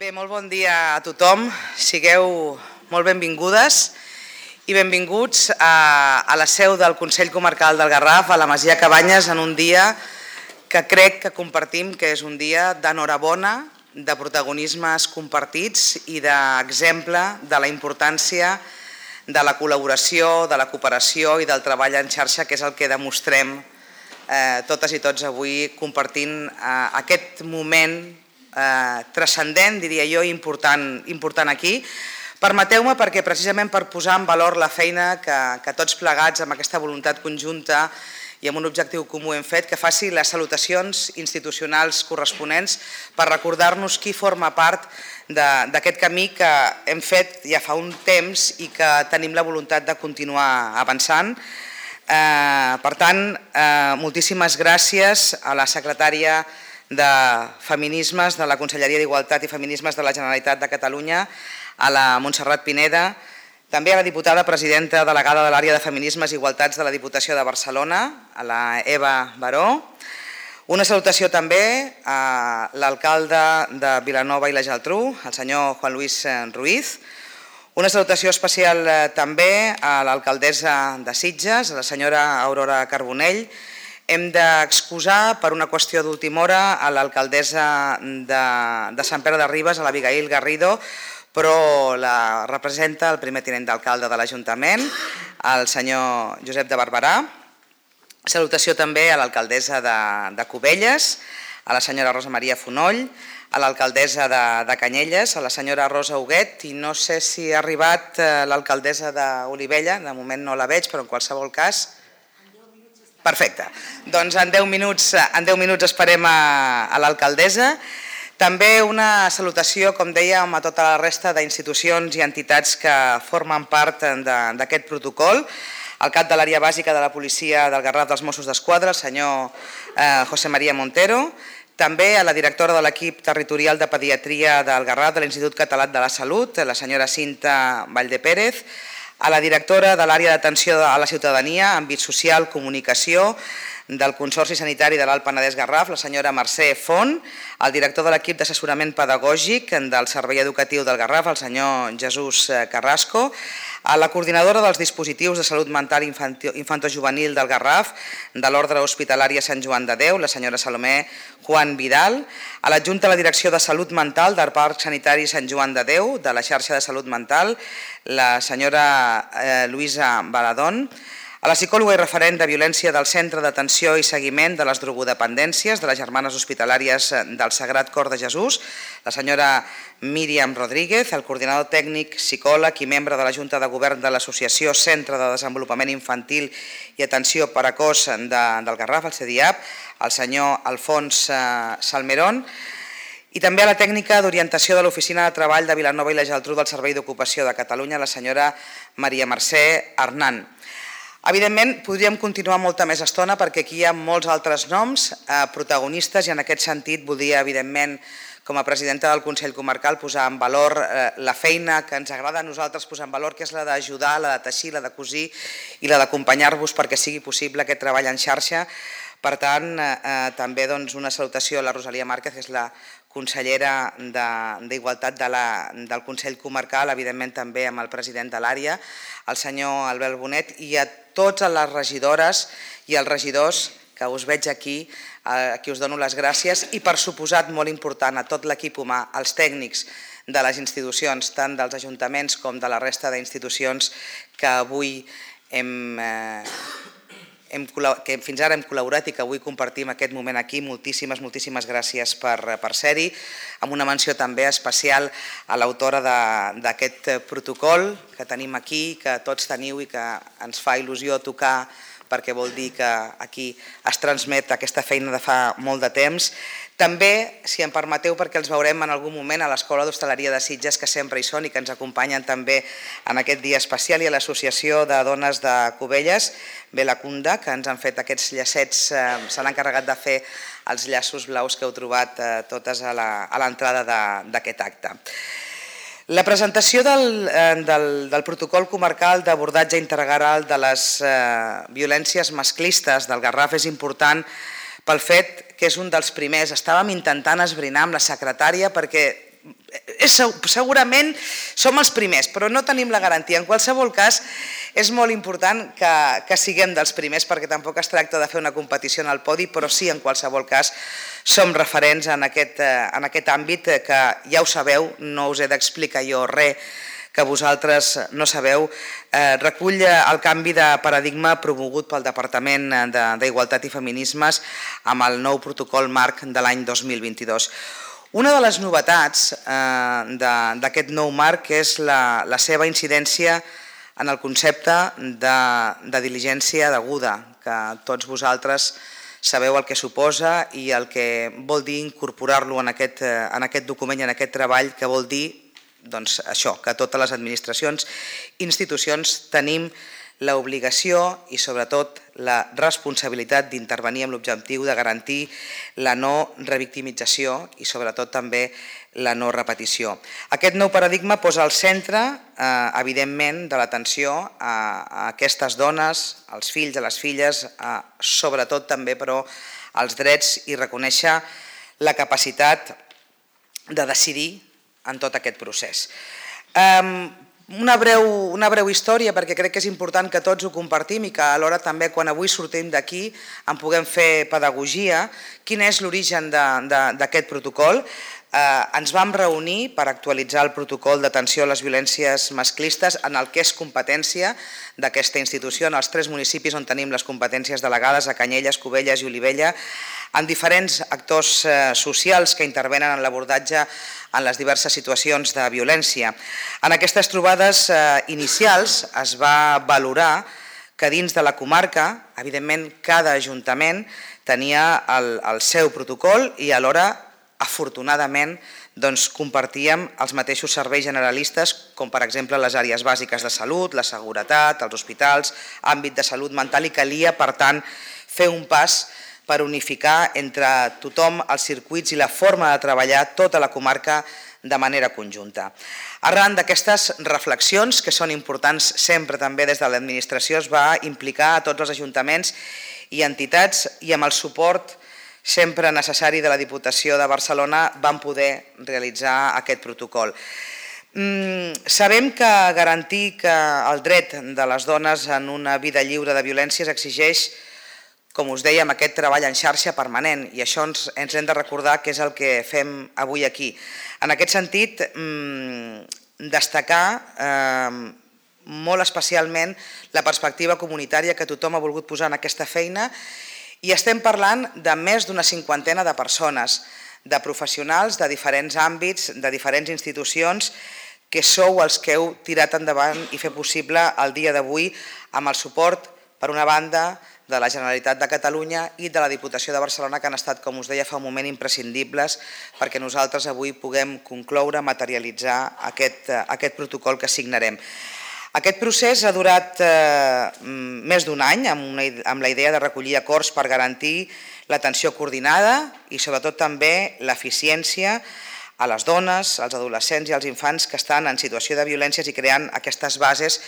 Bé, molt bon dia a tothom. Sigueu molt benvingudes i benvinguts a la seu del Consell Comarcal del Garraf, a la Masia Cabanyes, en un dia que crec que compartim que és un dia d'enhorabona, de protagonismes compartits i d'exemple de la importància de la col·laboració, de la cooperació i del treball en xarxa, que és el que demostrem totes i tots avui compartint aquest moment transcendent, diria jo, important aquí. Permeteu-me perquè precisament per posar en valor la feina que tots plegats amb aquesta voluntat conjunta i amb un objectiu comú hem fet, que faci les salutacions institucionals corresponents per recordar-nos qui forma part d'aquest camí que hem fet ja fa un temps i que tenim la voluntat de continuar avançant. Per tant, moltíssimes gràcies a la secretària de Feminismes de la Conselleria d'Igualtat i Feminismes de la Generalitat de Catalunya, a la Montserrat Pineda, també a la diputada presidenta delegada de l'àrea de Feminismes i Igualtats de la Diputació de Barcelona, a la Eva Baró. Una salutació també a l'alcalde de Vilanova i la Geltrú, el senyor Juan Luis Ruiz. Una salutació especial també a l'alcaldessa de Sitges, a la senyora Aurora Carbonell. Hem d'excusar per una qüestió d'última hora a l'alcaldessa de Sant Pere de Ribes, a l'Abigail Garrido, però la representa el primer tinent d'alcalde de l'Ajuntament, el senyor Josep de Barberà. Salutació també a l'alcaldessa de Cubelles, a la senyora Rosa Maria Fonoll, a l'alcaldessa de Canyelles, a la senyora Rosa Huguet, i no sé si ha arribat l'alcaldessa d'Olivella, de moment no la veig, però en qualsevol cas... Perfecte. Doncs en 10 minuts esperem a l'alcaldessa. També una salutació, com dèiem, a tota la resta d'institucions i entitats que formen part d'aquest protocol. El cap de l'àrea bàsica de la policia del Garraf dels Mossos d'Esquadra, el senyor José María Montero. També a la directora de l'equip territorial de pediatria del Garraf de l'Institut Català de la Salut, la senyora Cinta Valldepérez. A la directora de l'àrea d'atenció a la ciutadania, àmbit social, comunicació, del Consorci Sanitari de l'Alt Penedès Garraf, la senyora Mercè Font, el director de l'equip d'assessorament pedagògic del Servei Educatiu del Garraf, el senyor Jesús Carrasco, a la coordinadora dels dispositius de salut mental infantojuvenil del Garraf, de l'Ordre Hospitalària Sant Joan de Déu, la senyora Salomé Juan Vidal, a l'adjunta a la Direcció de Salut Mental del Parc Sanitari Sant Joan de Déu, de la xarxa de salut mental, la senyora Luisa Baladón, a la psicòloga i referent de violència del Centre d'Atenció i Seguiment de les Drogodependències de les Germanes Hospitalàries del Sagrat Cor de Jesús, la senyora Míriam Rodríguez, el coordinador tècnic, psicòleg i membre de la Junta de Govern de l'Associació Centre de Desenvolupament Infantil i Atenció Precoç del Garraf, el CEDIAP, el senyor Alfons Salmerón, i també a la tècnica d'orientació de l'Oficina de Treball de Vilanova i la Geltrú del Servei d'Ocupació de Catalunya, la senyora Maria Mercè Hernán. Evidentment, podríem continuar molta més estona perquè aquí hi ha molts altres noms protagonistes i en aquest sentit voldria, evidentment, com a presidenta del Consell Comarcal, posar en valor la feina que ens agrada a nosaltres posar en valor, que és la d'ajudar, la de teixir, la de cosir i la d'acompanyar-vos perquè sigui possible aquest treball en xarxa. Per tant, també una salutació a la Rosalia Márquez, que és la consellera d'Igualtat del Consell Comarcal, evidentment també amb el president de l'àrea, el senyor Albert Bonet, i a totes les regidores i els regidors que us veig aquí, a qui us dono les gràcies, i per suposat, molt important, a tot l'equip humà, als tècnics de les institucions, tant dels ajuntaments com de la resta d'institucions que avui que fins ara hem col·laborat i que avui compartim aquest moment aquí. Moltíssimes gràcies per ser-hi, amb una menció també especial a l'autora d'aquest protocol que tenim aquí, que tots teniu i que ens fa il·lusió tocar perquè vol dir que aquí es transmet aquesta feina de fa molt de temps. També, si em permeteu, perquè els veurem en algun moment a l'Escola d'Hostaleria de Sitges, que sempre hi són i que ens acompanyen també en aquest dia especial, i a l'Associació de Dones de Cubelles, Belacunda, que ens han fet aquests llacets, s'han encarregat de fer els llaços blaus que heu trobat totes a l'entrada d'aquest acte. La presentació del protocol comarcal d'abordatge integral de les violències masclistes del Garraf és important pel fet que és un dels primers. Estàvem intentant esbrinar amb la secretària perquè segurament som els primers, però no tenim la garantia. En qualsevol cas, és molt important que siguem dels primers, perquè tampoc es tracta de fer una competició en el podi, però sí, en qualsevol cas, som referents en aquest àmbit que ja ho sabeu, no us he d'explicar jo res que vosaltres no sabeu. Recull el canvi de paradigma promogut pel Departament d'Igualtat i Feminismes amb el nou protocol marc de l'any 2022. Una de les novetats d'aquest nou marc és la seva incidència en el concepte de diligència deguda, que tots vosaltres sabeu el que suposa i el que vol dir incorporar-lo en aquest document i en aquest treball, que vol dir això, que totes les administracions i institucions tenim l'obligació i sobretot la responsabilitat d'intervenir amb l'objectiu de garantir la no revictimització i sobretot també la no repetició. Aquest nou paradigma posa al centre, evidentment, de l'atenció a aquestes dones, als fills, a les filles, sobretot també, però, als drets i reconèixer la capacitat de decidir en tot aquest procés. Una breu història, perquè crec que és important que tots ho compartim i que alhora també quan avui sortim d'aquí en puguem fer pedagogia. Quin és l'origen d'aquest protocol? Ens vam reunir per actualitzar el protocol d'atenció a les violències masclistes en el que és competència d'aquesta institució, en els 3 municipis on tenim les competències delegades, a Canyelles, Cubelles i Olivella, amb diferents actors socials que intervenen en l'abordatge en les diverses situacions de violència. En aquestes trobades inicials es va valorar que dins de la comarca, evidentment, cada ajuntament tenia el seu protocol i alhora, afortunadament, compartíem els mateixos serveis generalistes, com per exemple les àrees bàsiques de salut, la seguretat, els hospitals, àmbit de salut mental, i calia, per tant, fer un pas per unificar entre tothom els circuits i la forma de treballar tota la comarca de manera conjunta. Arran d'aquestes reflexions, que són importants sempre també des de l'administració, es va implicar a tots els ajuntaments i entitats i amb el suport sempre necessari de la Diputació de Barcelona vam poder realitzar aquest protocol. Sabem que garantir que el dret de les dones en una vida lliure de violències exigeix, com us dèiem, aquest treball en xarxa permanent, i això ens hem de recordar que és el que fem avui aquí. En aquest sentit, destacar molt especialment la perspectiva comunitària que tothom ha volgut posar en aquesta feina, i estem parlant de més d'una 50ena de persones, de professionals de diferents àmbits, de diferents institucions, que sou els que heu tirat endavant i fer possible el dia d'avui amb el suport, per una banda, de la Generalitat de Catalunya i de la Diputació de Barcelona, que han estat, com us deia fa un moment, imprescindibles perquè nosaltres avui puguem concloure, materialitzar aquest protocol que signarem. Aquest procés ha durat més d'un any amb la idea de recollir acords per garantir l'atenció coordinada i sobretot també l'eficiència a les dones, als adolescents i als infants que estan en situació de violències i creant aquestes bases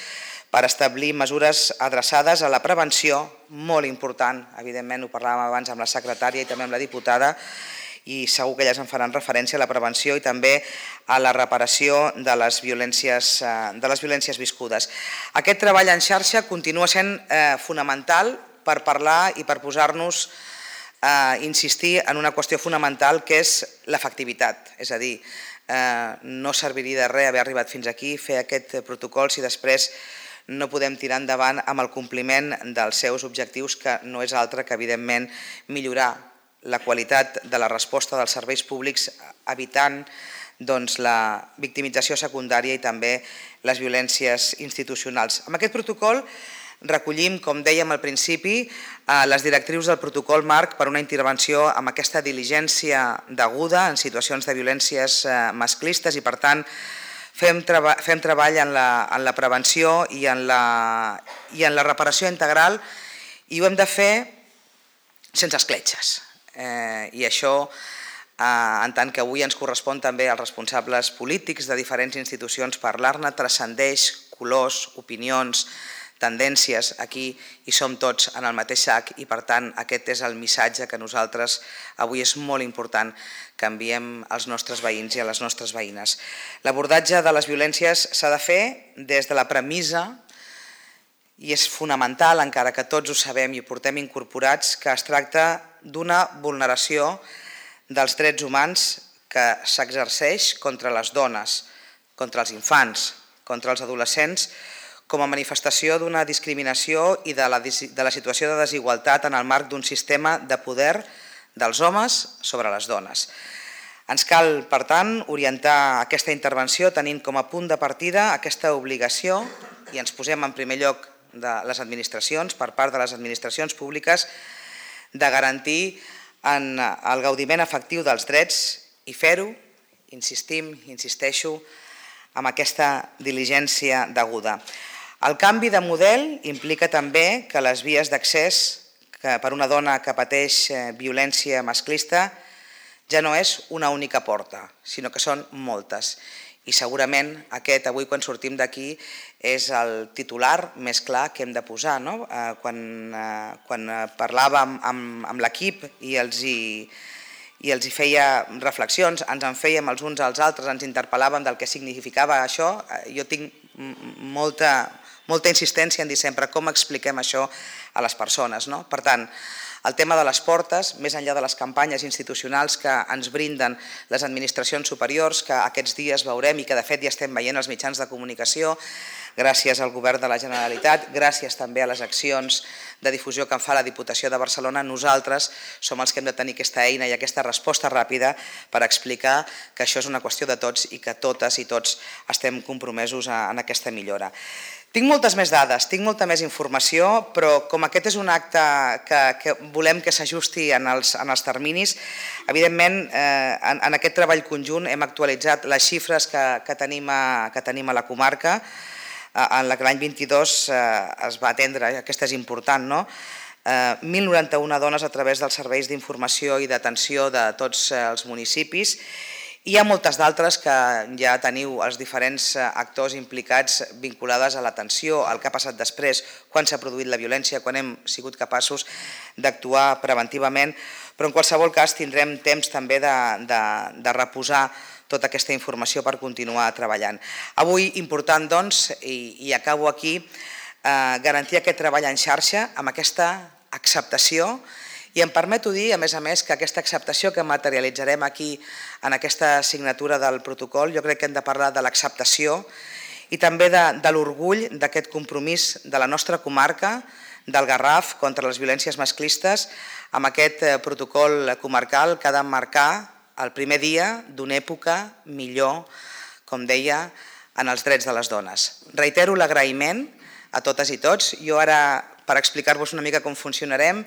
per establir mesures adreçades a la prevenció, molt important, evidentment ho parlàvem abans amb la secretària i també amb la diputada, i segur que elles en faran referència a la prevenció i també a la reparació de les violències viscudes. Aquest treball en xarxa continua sent fonamental per parlar i per posar-nos a insistir en una qüestió fonamental que és l'efectivitat. És a dir, no serviria de res haver arribat fins aquí, fer aquest protocol si després no podem tirar endavant amb el compliment dels seus objectius, que no és altre que, evidentment, millorar la qualitat de la resposta dels serveis públics, evitant la victimització secundària i també les violències institucionals. Amb aquest protocol recollim, com dèiem al principi, les directrius del protocol marc per una intervenció amb aquesta diligència deguda en situacions de violències masclistes i, per tant, fem treball en la prevenció i en la reparació integral, i ho hem de fer sense escletxes. I això, en tant que avui ens correspon també als responsables polítics de diferents institucions parlar-ne, transcendeix colors, opinions, tendències, aquí hi som tots en el mateix sac i per tant aquest és el missatge que nosaltres avui és molt important que enviem als nostres veïns i a les nostres veïnes. L'abordatge de les violències s'ha de fer des de la premissa, i és fonamental, encara que tots ho sabem i ho portem incorporats, que es tracta d'una vulneració dels drets humans que s'exerceix contra les dones, contra els infants, contra els adolescents, com a manifestació d'una discriminació i de la situació de desigualtat en el marc d'un sistema de poder dels homes sobre les dones. Ens cal, per tant, orientar aquesta intervenció tenint com a punt de partida aquesta obligació, i ens posem en primer lloc de les administracions, per part de les administracions públiques, de garantir el gaudiment efectiu dels drets i fer-ho, insisteixo, amb aquesta diligència deguda. El canvi de model implica també que les vies d'accés per una dona que pateix violència masclista ja no és una única porta, sinó que són moltes. I segurament aquest, avui quan sortim d'aquí, és el titular més clar que hem de posar. Quan parlàvem amb l'equip i els hi feia reflexions, ens en fèiem els uns als altres, ens interpel·làvem del que significava això, jo tinc molta insistència en dir sempre com expliquem això a les persones. Per tant, el tema de les portes, més enllà de les campanyes institucionals que ens brinden les administracions superiors, que aquests dies veurem i que de fet ja estem veient als mitjans de comunicació, gràcies al Govern de la Generalitat, gràcies també a les accions de difusió que en fa la Diputació de Barcelona, nosaltres som els que hem de tenir aquesta eina i aquesta resposta ràpida per explicar que això és una qüestió de tots i que totes i tots estem compromesos en aquesta millora. Tinc moltes més dades, tinc molta més informació, però com aquest és un acte que volem que s'ajusti en els terminis, evidentment en aquest treball conjunt hem actualitzat les xifres que tenim a la comarca. En l'any 22 es va atendre, aquesta és important, 1.091 dones a través dels serveis d'informació i d'atenció de tots els municipis. Hi ha moltes d'altres que ja teniu els diferents actors implicats vinculades a l'atenció, al que ha passat després, quan s'ha produït la violència, quan hem sigut capaços d'actuar preventivament, però en qualsevol cas tindrem temps també de reposar tota aquesta informació per continuar treballant. Avui, important doncs, i acabo aquí, garantir aquest treball en xarxa amb aquesta acceptació. I em permeto dir, a més, que aquesta acceptació que materialitzarem aquí en aquesta signatura del protocol, jo crec que hem de parlar de l'acceptació i també de l'orgull d'aquest compromís de la nostra comarca, del Garraf, contra les violències masclistes, amb aquest protocol comarcal que ha de marcar el primer dia d'una època millor, com deia, en els drets de les dones. Reitero l'agraïment a totes i tots. Jo ara, per explicar-vos una mica com funcionarem,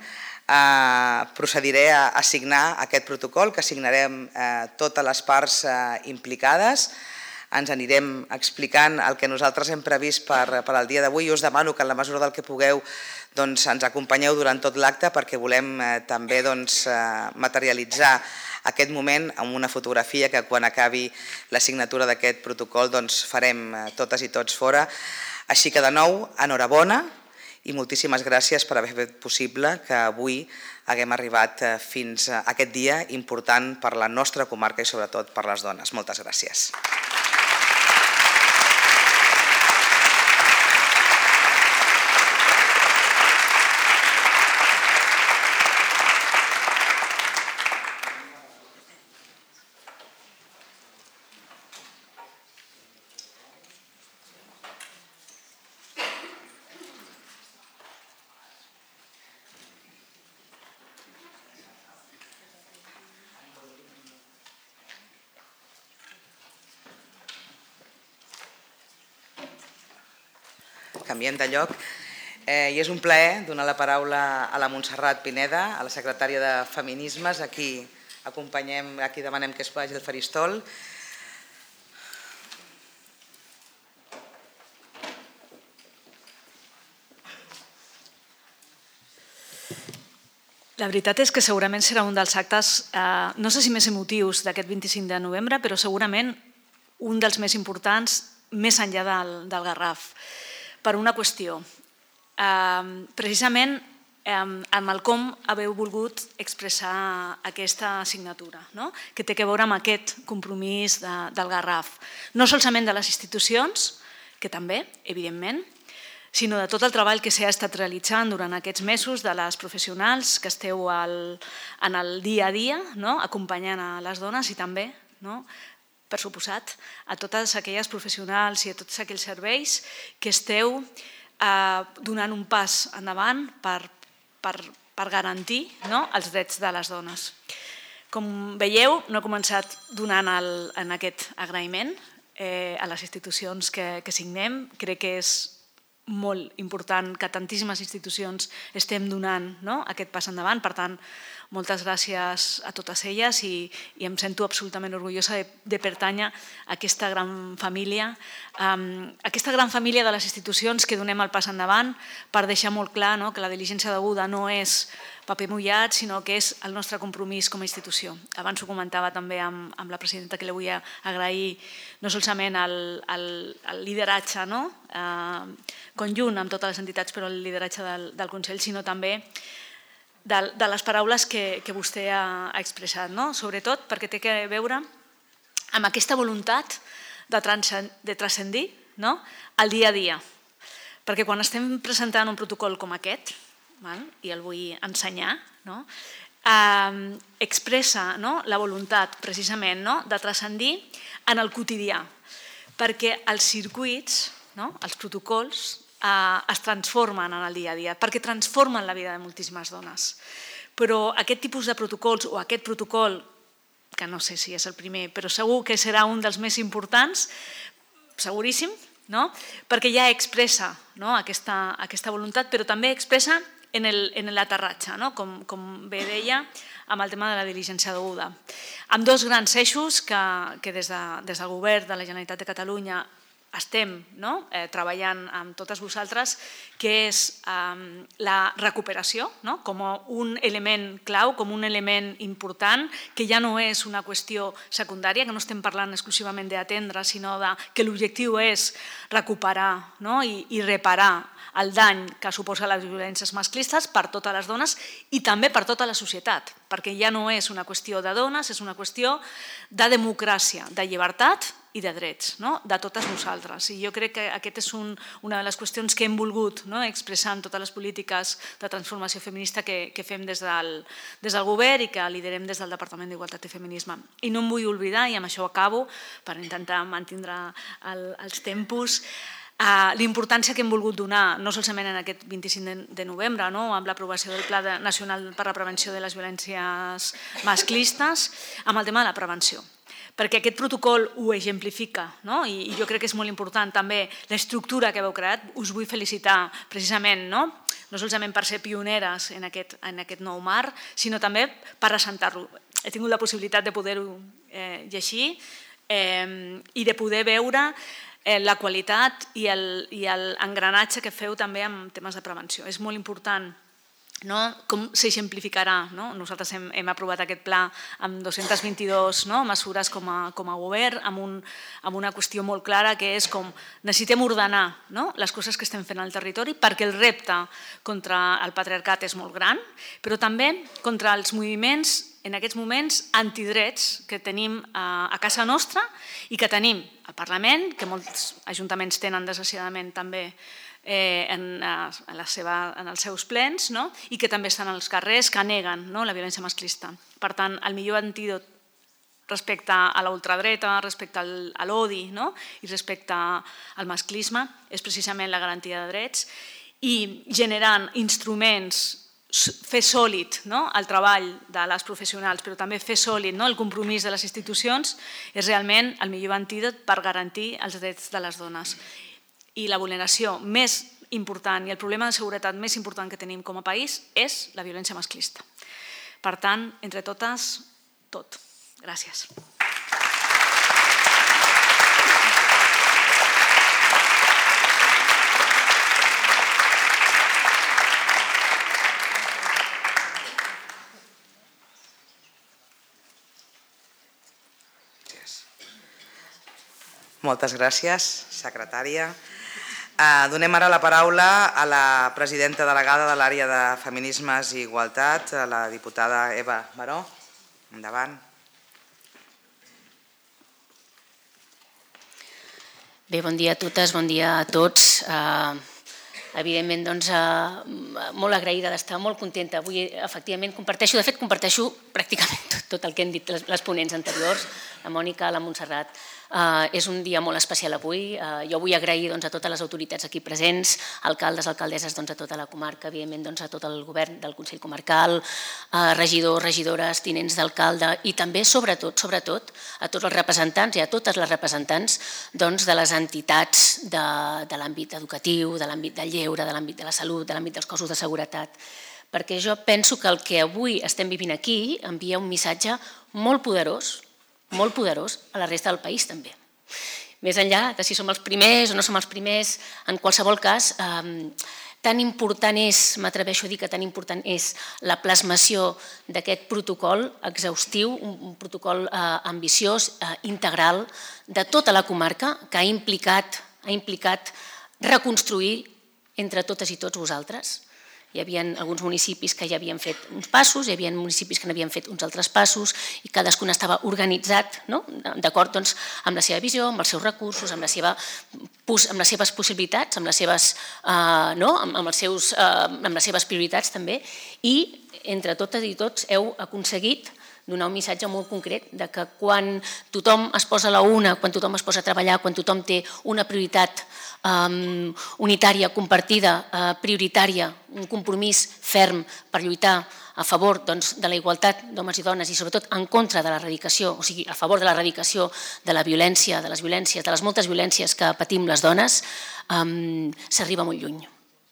procediré a signar aquest protocol que signarem totes les parts implicades. Ens anirem explicant el que nosaltres hem previst per al dia d'avui. Jo us demano que en la mesura del que pugueu ens acompanyeu durant tot l'acte perquè volem també materialitzar aquest moment amb una fotografia que quan acabi la signatura d'aquest protocol farem totes i tots fora. Així que de nou, enhorabona i moltíssimes gràcies per haver fet possible que avui haguem arribat fins a aquest dia important per la nostra comarca i sobretot per les dones. Moltes gràcies. Canviem de lloc i és un plaer donar la paraula a la Montserrat Pineda, a la secretària de Feminismes, a qui acompanyem, a qui demanem que es vagi al faristol. La veritat és que segurament serà un dels actes, no sé si més emotius d'aquest 25 de novembre, però segurament un dels més importants més enllà del Garraf. Per una qüestió. precisament amb el com haveu volgut expressar aquesta signatura, que té a veure amb aquest compromís del Garraf. No solament de les institucions, que també, evidentment, sinó de tot el treball que s'ha estat realitzant durant aquests mesos, de les professionals que esteu en el dia a dia, acompanyant a les dones i també, per suposat, a totes aquelles professionals i a tots aquells serveis que esteu donant un pas endavant per garantir els drets de les dones. Com veieu, no he començat donant en aquest agraïment a les institucions que signem. Crec que és molt important que tantíssimes institucions estem donant aquest pas endavant. Per tant, moltes gràcies a totes elles i em sento absolutament orgullosa de pertànyer a aquesta gran família de les institucions que donem el pas endavant per deixar molt clar que la diligència deguda no és paper mullat, sinó que és el nostre compromís com a institució. Abans ho comentava també amb la presidenta, que li vull agrair no solament el lideratge conjunt amb totes les entitats, però el lideratge del Consell, sinó també de les paraules que vostè ha expressat, sobretot perquè té a veure amb aquesta voluntat de transcendir el dia a dia. Perquè quan estem presentant un protocol com aquest, i el vull ensenyar, expressa la voluntat precisament de transcendir en el quotidià, perquè els circuits, els protocols, es transformen en el dia a dia, perquè transformen la vida de moltíssimes dones. Però aquest tipus de protocols, o aquest protocol, que no sé si és el primer, però segur que serà un dels més importants, seguríssim, perquè ja expressa aquesta voluntat, però també expressa en l'aterratge, com bé deia, amb el tema de la diligència deguda. Amb dos grans eixos que des del Govern de la Generalitat de Catalunya estem treballant amb totes vosaltres, que és la recuperació com un element clau, com un element important, que ja no és una qüestió secundària, que no estem parlant exclusivament d'atendre, sinó que l'objectiu és recuperar i reparar el dany que suposa les violències masclistes per totes les dones i també per tota la societat, perquè ja no és una qüestió de dones, és una qüestió de democràcia, de llibertat i de drets, de totes nosaltres. I jo crec que aquesta és una de les qüestions que hem volgut expressar en totes les polítiques de transformació feminista que fem des del Govern i que liderem des del Departament d'Igualtat i Feminisme. I no em vull oblidar, i amb això acabo, per intentar mantindre els tempos, la importància que hem volgut donar, no solament en aquest 25 de novembre, amb l'aprovació del Pla Nacional per a la Prevenció de les Violències Masclistes, amb el tema de la prevenció. Perquè aquest protocol ho exemplifica, i jo crec que és molt important també l'estructura que heu creat. Us vull felicitar precisament, no solament per ser pioneres en aquest nou marc, sinó també per assentar-lo. He tingut la possibilitat de poder-ho llegir i de poder veure la qualitat i l'engranatge que feu també en temes de prevenció. És molt important com s'exemplificarà. Nosaltres hem aprovat aquest pla amb 222 mesures com a govern, amb una qüestió molt clara, que és com necessitem ordenar les coses que estem fent al territori, perquè el repte contra el patriarcat és molt gran, però també contra els moviments, en aquests moments, antidrets que tenim a casa nostra i que tenim al Parlament, que molts ajuntaments tenen desgraciadament també en els seus plens, i que també estan als carrers, que neguen la violència masclista. Per tant, el millor antídot respecte a la ultradreta, respecte a l'odi i respecte al masclisme és precisament la garantia de drets, i generant instruments, fer sòlid el treball de les professionals, però també fer sòlid el compromís de les institucions, és realment el millor antídot per garantir els drets de les dones. I la vulneració més important i el problema de seguretat més important que tenim com a país és la violència masclista. Per tant, entre totes, tot. Gràcies. Moltes gràcies, secretària. Donem ara la paraula a la presidenta delegada de l'àrea de Feminismes i Igualtat, a la diputada Eva Baró. Endavant. Bé, bon dia a totes, bon dia a tots. Evidentment, doncs, molt agraïda d'estar, molt contenta. Avui, efectivament, comparteixo pràcticament tot el que han dit les ponents anteriors, la Mònica, la Montserrat. És un dia molt especial avui. Jo vull agrair a totes les autoritats aquí presents, alcaldes, alcaldesses, a tota la comarca, evidentment a tot el govern del Consell Comarcal, regidors, regidores, tinents d'alcalde i també, sobretot, a tots els representants i a totes les representants de les entitats de l'àmbit educatiu, de l'àmbit del lleure, de l'àmbit de la salut, de l'àmbit dels cossos de seguretat. Perquè jo penso que el que avui estem vivint aquí envia un missatge molt poderós a la resta del país també. Més enllà de si som els primers o no som els primers, en qualsevol cas, tan important és, m'atreveixo a dir que tan important és la plasmació d'aquest protocol exhaustiu, un protocol ambiciós, integral, de tota la comarca, que ha implicat reconstruir entre totes i tots vosaltres. Hi havia alguns municipis que ja havien fet uns passos, hi havia municipis que n'havien fet uns altres passos i cadascun estava organitzat d'acord amb la seva visió, amb els seus recursos, amb les seves possibilitats, amb les seves prioritats també, i entre totes i tots heu aconseguit donar un missatge molt concret de que quan tothom es posa a la una, quan tothom es posa a treballar, quan tothom té una prioritat unitària, compartida, prioritària, un compromís ferm per lluitar a favor de la igualtat d'homes i dones i sobretot en contra de l'erradicació, o sigui, a favor de l'erradicació de la violència, de les violències, de les moltes violències que patim les dones, s'arriba molt lluny.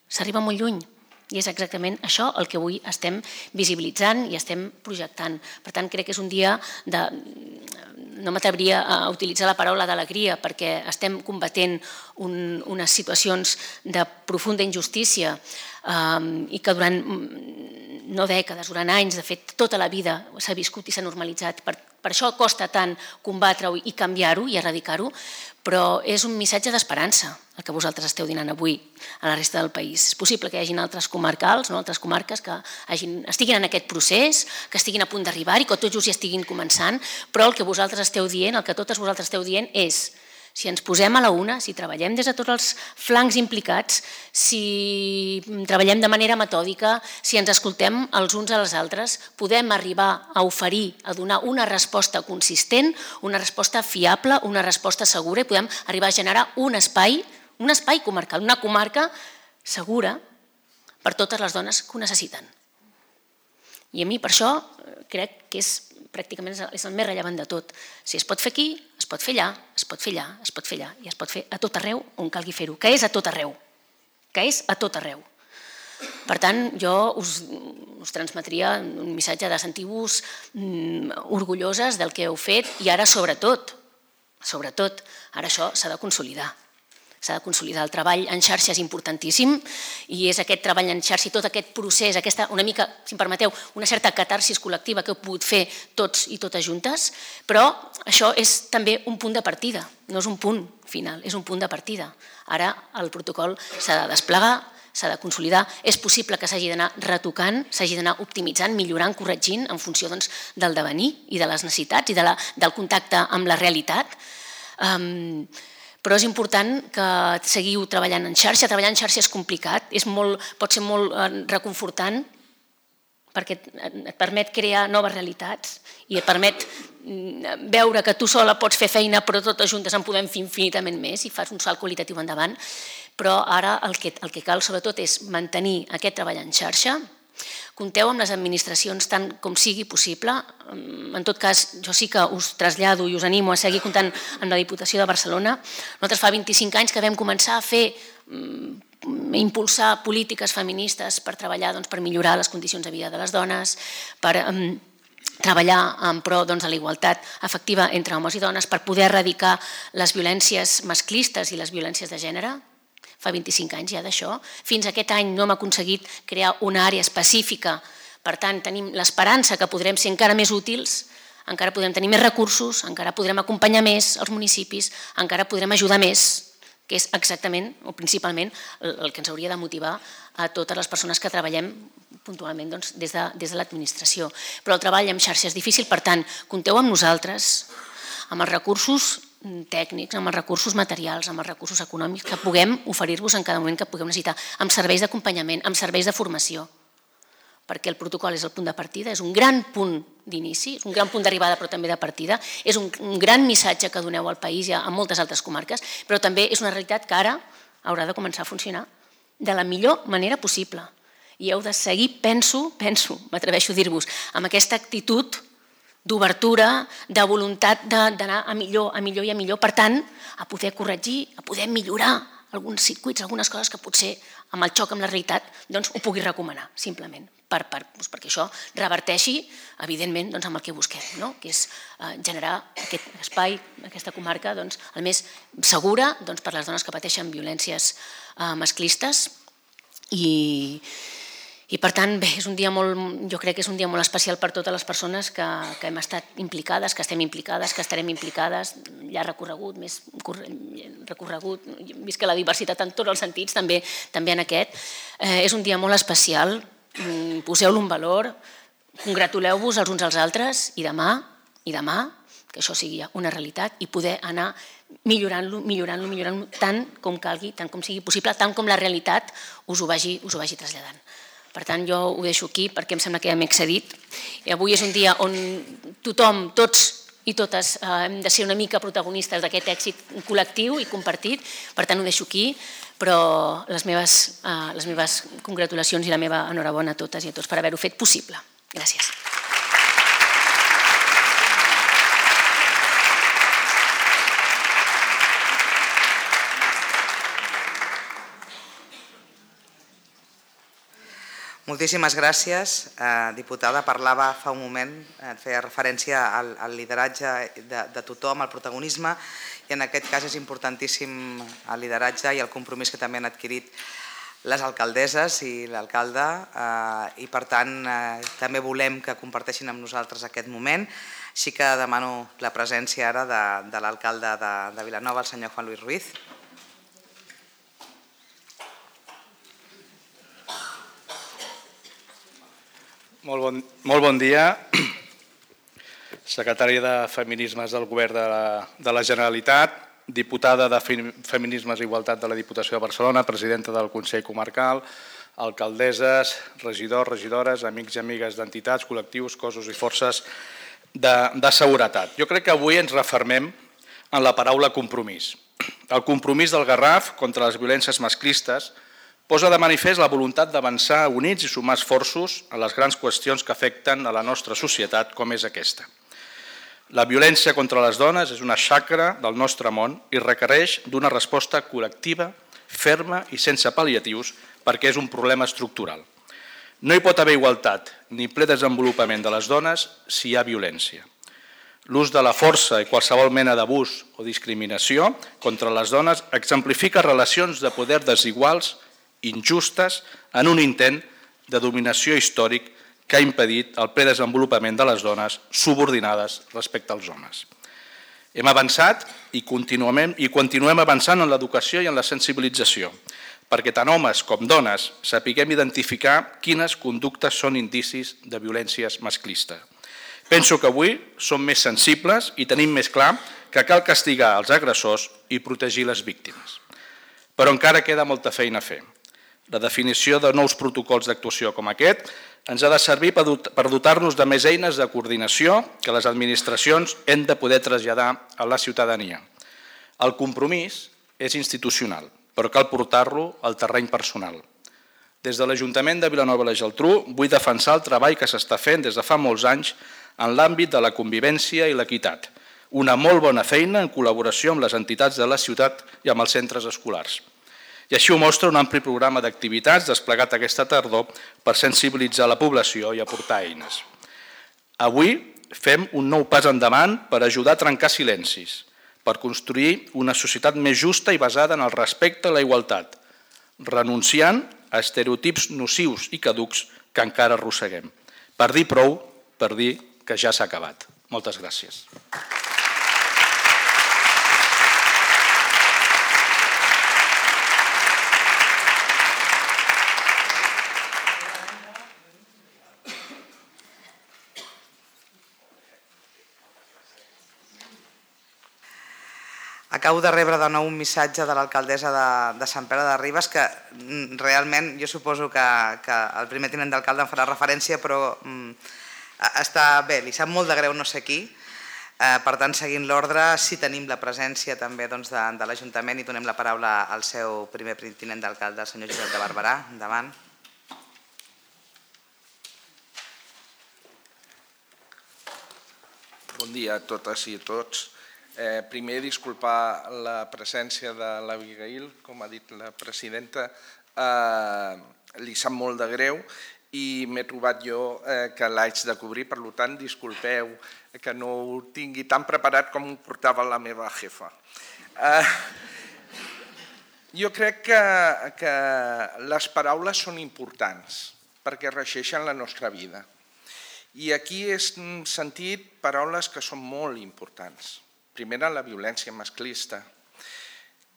S'arriba molt lluny. I és exactament això el que avui estem visibilitzant i estem projectant. Per tant, crec que és un dia de... No m'atreviria a utilitzar la paraula d'alegria perquè estem combatent unes situacions de profunda injustícia i que durant no dècades, durant anys, de fet, tota la vida s'ha viscut i s'ha normalitzat. Per això costa tant combatre-ho i canviar-ho i erradicar-ho, però és un missatge d'esperança el que vosaltres esteu donant avui a la resta del país. És possible que hi hagi altres comarcals, altres comarques que estiguin en aquest procés, que estiguin a punt d'arribar i que tots just hi estiguin començant, però el que vosaltres esteu dient, el que totes vosaltres esteu dient és: si ens posem a la una, si treballem des de tots els flancs implicats, si treballem de manera metòdica, si ens escoltem els uns als altres, podem arribar a oferir, a donar una resposta consistent, una resposta fiable, una resposta segura i podem arribar a generar un espai comarcal, una comarca segura per totes les dones que ho necessiten. I a mi per això crec que pràcticament és el més rellevant de tot. Si es pot fer aquí, es pot fer allà, es pot fer allà, es pot fer allà i es pot fer a tot arreu on calgui fer-ho, que és a tot arreu, que és a tot arreu. Per tant, jo us transmetria un missatge de sentir-vos orgulloses del que heu fet i ara sobretot, ara això s'ha de consolidar. S'ha de consolidar. El treball en xarxa és importantíssim i és aquest treball en xarxa i tot aquest procés, aquesta, una mica, si em permeteu, una certa catarsis col·lectiva que heu pogut fer tots i totes juntes, però això és també un punt de partida, no és un punt final, és un punt de partida. Ara el protocol s'ha de desplegar, s'ha de consolidar, és possible que s'hagi d'anar retocant, s'hagi d'anar optimitzant, millorant, corregint en funció del devenir i de les necessitats i del contacte amb la realitat. Però és important que seguiu treballant en xarxa. Treballar en xarxa és complicat, pot ser molt reconfortant perquè et permet crear noves realitats i et permet veure que tu sola pots fer feina però totes juntes en podem fer infinitament més i fas un salt qualitatiu endavant. Però ara el que cal sobretot és mantenir aquest treball en xarxa. Compteu amb les administracions tant com sigui possible. En tot cas, jo sí que us trasllado i us animo a seguir comptant amb la Diputació de Barcelona. Nosaltres fa 25 anys que vam començar a impulsar polítiques feministes per treballar per millorar les condicions de vida de les dones, per treballar en pro de la igualtat efectiva entre homes i dones, per poder erradicar les violències masclistes i les violències de gènere. Fa 25 anys ja d'això. Fins aquest any no hem aconseguit crear una àrea específica. Per tant, tenim l'esperança que podrem ser encara més útils, encara podrem tenir més recursos, encara podrem acompanyar més els municipis, encara podrem ajudar més que és exactament o principalment el que ens hauria de motivar a totes les persones que treballem puntualment des de l'administració. Però el treball en xarxa és difícil, per tant, compteu amb nosaltres, amb els recursos tècnics, amb els recursos materials, amb els recursos econòmics que puguem oferir-vos en cada moment que puguem necessitar, amb serveis d'acompanyament, amb serveis de formació, perquè el protocol és el punt de partida, és un gran punt d'inici, és un gran punt d'arribada però també de partida, és un gran missatge que doneu al país i a moltes altres comarques, però també és una realitat que ara haurà de començar a funcionar de la millor manera possible. I heu de seguir, penso, m'atreveixo a dir-vos, amb aquesta actitud d'obertura, de voluntat d'anar a millor i a millor, per tant, a poder corregir, a poder millorar alguns circuits, algunes coses que potser amb el xoc amb la realitat ho pugui recomanar, simplement, perquè això reverteixi, evidentment, amb el que busquem, que és generar aquest espai, aquesta comarca, el més segura per les dones que pateixen violències masclistes i per tant, bé, jo crec que és un dia molt especial per totes les persones que hem estat implicades, que estem implicades, que estarem implicades, llarg recorregut, més recorregut, visca la diversitat en tots els sentits, també en aquest. És un dia molt especial, poseu-lo en valor, congratuleu-vos els uns als altres i demà, que això sigui una realitat i poder anar millorant-lo tant com calgui, tant com sigui possible, tant com la realitat us ho vagi traslladant. Per tant, jo ho deixo aquí perquè em sembla que ja m'he excedit. Avui és un dia on tothom, tots i totes, hem de ser una mica protagonistes d'aquest èxit col·lectiu i compartit. Per tant, ho deixo aquí, però les meves congratulacions i la meva enhorabona a totes i a tots per haver-ho fet possible. Gràcies. Moltíssimes gràcies, diputada. Parlava fa un moment, feia referència al lideratge de tothom, al protagonisme, i en aquest cas és importantíssim el lideratge i el compromís que també han adquirit les alcaldesses i l'alcalde, i per tant també volem que comparteixin amb nosaltres aquest moment. Així que demano la presència ara de l'alcalde de Vilanova, el senyor Juan Luis Ruiz. Molt bon dia. Secretari de Feminismes del Govern de la Generalitat, diputada de Feminismes i Igualtat de la Diputació de Barcelona, presidenta del Consell Comarcal, alcaldesses, regidors, regidores, amics i amigues d'entitats, col·lectius, cossos i forces de seguretat. Jo crec que avui ens refermem en la paraula compromís. El compromís del Garraf contra les violències masclistes posa de manifest la voluntat d'avançar units i sumar esforços a les grans qüestions que afecten a la nostra societat, com és aquesta. La violència contra les dones és una xacra del nostre món i requereix d'una resposta col·lectiva, ferma i sense pal·liatius, perquè és un problema estructural. No hi pot haver igualtat ni ple desenvolupament de les dones si hi ha violència. L'ús de la força i qualsevol mena d'abús o discriminació contra les dones exemplifica relacions de poder desiguals, injustes, en un intent de dominació històric que ha impedit el ple desenvolupament de les dones subordinades respecte als homes. Hem avançat i continuem avançant en l'educació i en la sensibilització, perquè tant homes com dones sapiguem identificar quines conductes són indicis de violències masclistes. Penso que avui som més sensibles i tenim més clar que cal castigar els agressors i protegir les víctimes. Però encara queda molta feina a fer. La definició de nous protocols d'actuació com aquest ens ha de servir per dotar-nos de més eines de coordinació que les administracions hem de poder traslladar a la ciutadania. El compromís és institucional, però cal portar-lo al terreny personal. Des de l'Ajuntament de Vilanova i la Geltrú vull defensar el treball que s'està fent des de fa molts anys en l'àmbit de la convivència i l'equitat. Una molt bona feina en col·laboració amb les entitats de la ciutat i amb els centres escolars. I així ho mostra un ampli programa d'activitats desplegat aquesta tardor per sensibilitzar la població i aportar eines. Avui fem un nou pas endavant per ajudar a trencar silencis, per construir una societat més justa i basada en el respecte a la igualtat, renunciant a estereotips nocius i caducs que encara arrosseguem. Per dir prou, per dir que ja s'ha acabat. Moltes gràcies. Acabo de rebre de nou un missatge de l'alcaldessa de Sant Pere de Ribes que realment jo suposo que el primer tinent d'alcalde en farà referència, però està bé, li sap molt de greu no sé qui. Per tant, seguint l'ordre, sí tenim la presència també de l'Ajuntament i donem la paraula al seu primer tinent d'alcalde, el senyor Josep de Barberà. Endavant. Bon dia a totes i a tots. Primer, disculpar la presència de l'Abigail, com ha dit la presidenta, li sap molt de greu i m'he trobat jo que l'haig de cobrir, per tant, disculpeu que no ho tingui tan preparat com ho portava la meva jefa. Jo crec que les paraules són importants perquè regeixen la nostra vida. I aquí he sentit paraules que són molt importants. Primera, la violència masclista,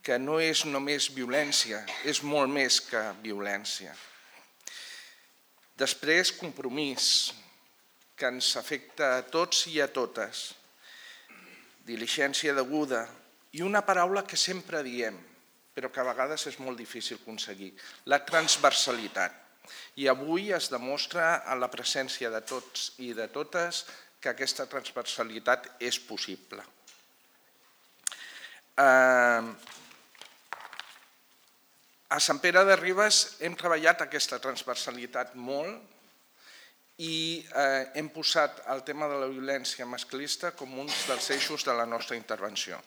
que no és només violència, és molt més que violència. Després, compromís, que ens afecta a tots i a totes. Diligència deguda i una paraula que sempre diem, però que a vegades és molt difícil aconseguir, la transversalitat. I avui es demostra a la presència de tots i de totes que aquesta transversalitat és possible. A Sant Pere de Ribes hem treballat aquesta transversalitat molt i hem posat el tema de la violència masclista com un dels eixos de la nostra intervenció.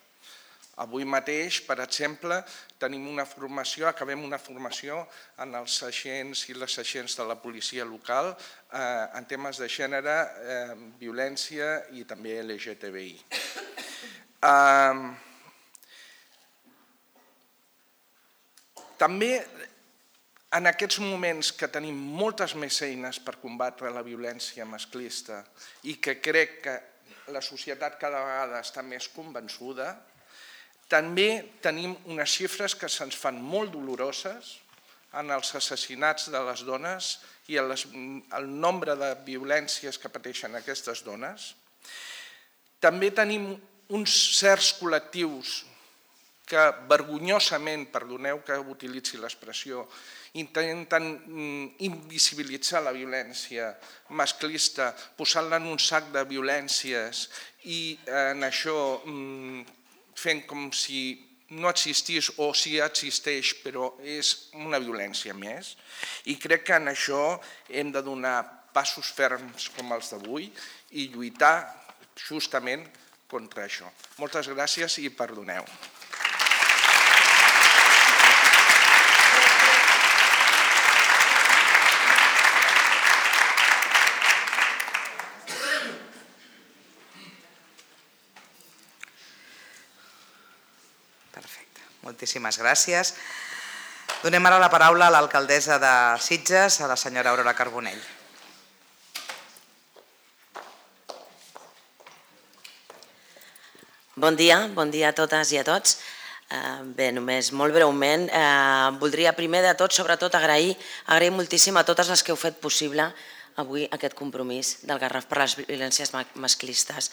Avui mateix, per exemple, tenim una formació, acabem una formació en els agents i les agents de la policia local en temes de gènere, violència i també LGTBI. També en aquests moments que tenim moltes més eines per combatre la violència masclista i que crec que la societat cada vegada està més convençuda, també tenim unes xifres que se'ns fan molt doloroses en els assassinats de les dones i el nombre de violències que pateixen aquestes dones. També tenim uns certs col·lectius que vergonyosament, perdoneu que utilitzi l'expressió, intenten invisibilitzar la violència masclista, posant-la en un sac de violències i en això fent com si no existís o si existeix, però és una violència més. I crec que en això hem de donar passos ferms com els d'avui i lluitar justament contra això. Moltes gràcies i perdoneu. Moltíssimes gràcies. Donem ara la paraula a l'alcaldessa de Sitges, a la senyora Aurora Carbonell. Bon dia a totes i a tots. Bé, només molt breument, voldria primer de tot, sobretot, agrair moltíssim a totes les que heu fet possible avui aquest compromís del Garraf per les violències masclistes.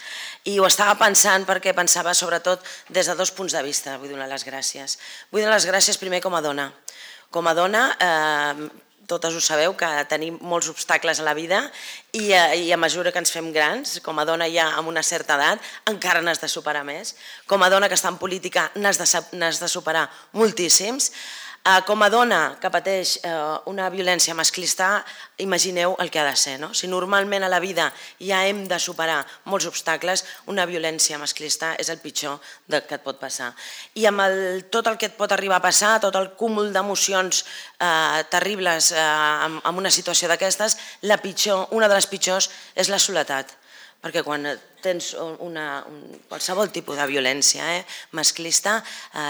I ho estava pensant perquè pensava sobretot des de dos punts de vista, vull donar les gràcies. Vull donar les gràcies primer com a dona. Com a dona, totes ho sabeu, que tenim molts obstacles a la vida i a mesura que ens fem grans, com a dona ja amb una certa edat, encara n'has de superar més. Com a dona que està en política n'has de superar moltíssims. Com a dona que pateix una violència masclista, imagineu el que ha de ser. Si normalment a la vida ja hem de superar molts obstacles, una violència masclista és el pitjor que et pot passar. I amb tot el que et pot arribar a passar, tot el cúmul d'emocions terribles en una situació d'aquestes, una de les pitjors és la soledat. Perquè quan tens qualsevol tipus de violència masclista,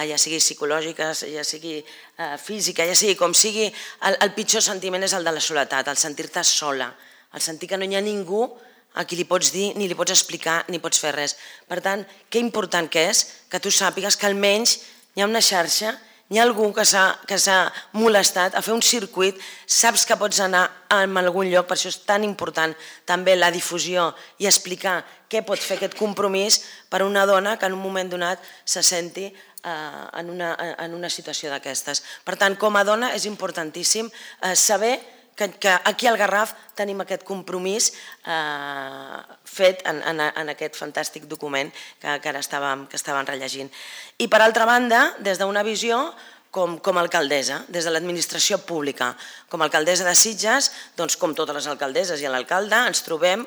ja sigui psicològica, ja sigui física, ja sigui com sigui, el pitjor sentiment és el de la soledat, el sentir-te sola, el sentir que no hi ha ningú a qui li pots dir, ni li pots explicar, ni pots fer res. Per tant, que important que és que tu sàpigues que almenys hi ha una xarxa, hi ha algú que s'ha molestat a fer un circuit, saps que pots anar a algun lloc, per això és tan important també la difusió i explicar què pot fer aquest compromís per a una dona que en un moment donat se senti en una situació d'aquestes. Per tant, com a dona és importantíssim saber que aquí al Garraf tenim aquest compromís fet en aquest fantàstic document que ara estàvem rellegint. I per altra banda, des d'una visió com a alcaldessa, des de l'administració pública. Com a alcaldessa de Sitges, doncs com totes les alcaldesses i l'alcalde, ens trobem,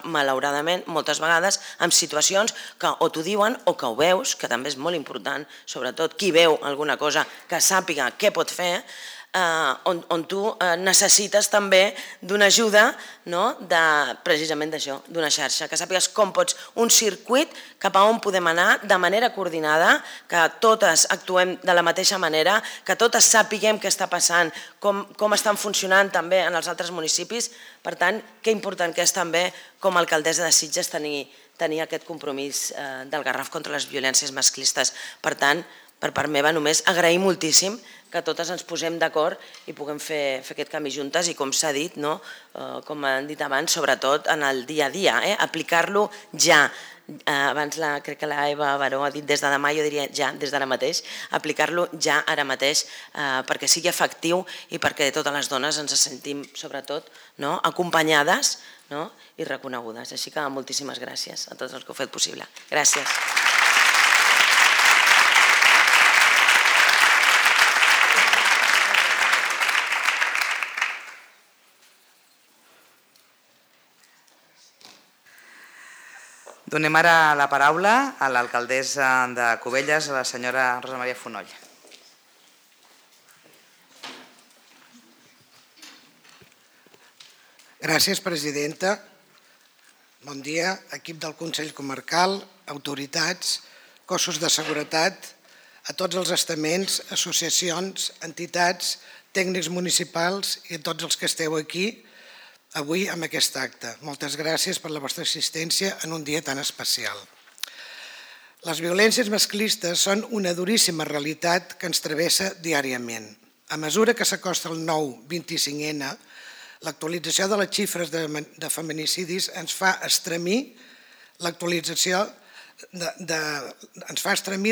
malauradament, moltes vegades en situacions que o t'ho diuen o que ho veus, que també és molt important, sobretot qui veu alguna cosa que sàpiga què pot fer, on tu necessites també d'una ajuda, precisament d'això, d'una xarxa, que sàpigues com pots, un circuit cap a on podem anar de manera coordinada, que totes actuem de la mateixa manera, que totes sàpiguem què està passant, com estan funcionant també en els altres municipis. Per tant, que important que és també com a alcaldessa de Sitges tenir aquest compromís del Garraf contra les violències masclistes. Per tant, per part meva, només agrair moltíssim que totes ens posem d'acord i puguem fer aquest camí juntes i, com s'ha dit, com han dit abans, sobretot en el dia a dia, aplicar-lo ja. Abans crec que la Eva Baró ha dit des de demà, jo diria ja, des d'ara mateix, aplicar-lo ja ara mateix perquè sigui efectiu i perquè totes les dones ens sentim, sobretot, acompanyades i reconegudes. Així que moltíssimes gràcies a tots els que ho heu fet possible. Gràcies. Donem ara la paraula a l'alcaldessa de Cubelles, a la senyora Rosa Maria Fonoll. Gràcies, presidenta. Bon dia, equip del Consell Comarcal, autoritats, cossos de seguretat, a tots els estaments, associacions, entitats, tècnics municipals i a tots els que esteu aquí avui amb aquest acte. Moltes gràcies per la vostra assistència en un dia tan especial. Les violències masclistes són una duríssima realitat que ens travessa diàriament. A mesura que s'acosta el nou 25N, l'actualització de les xifres de feminicidis ens fa estremir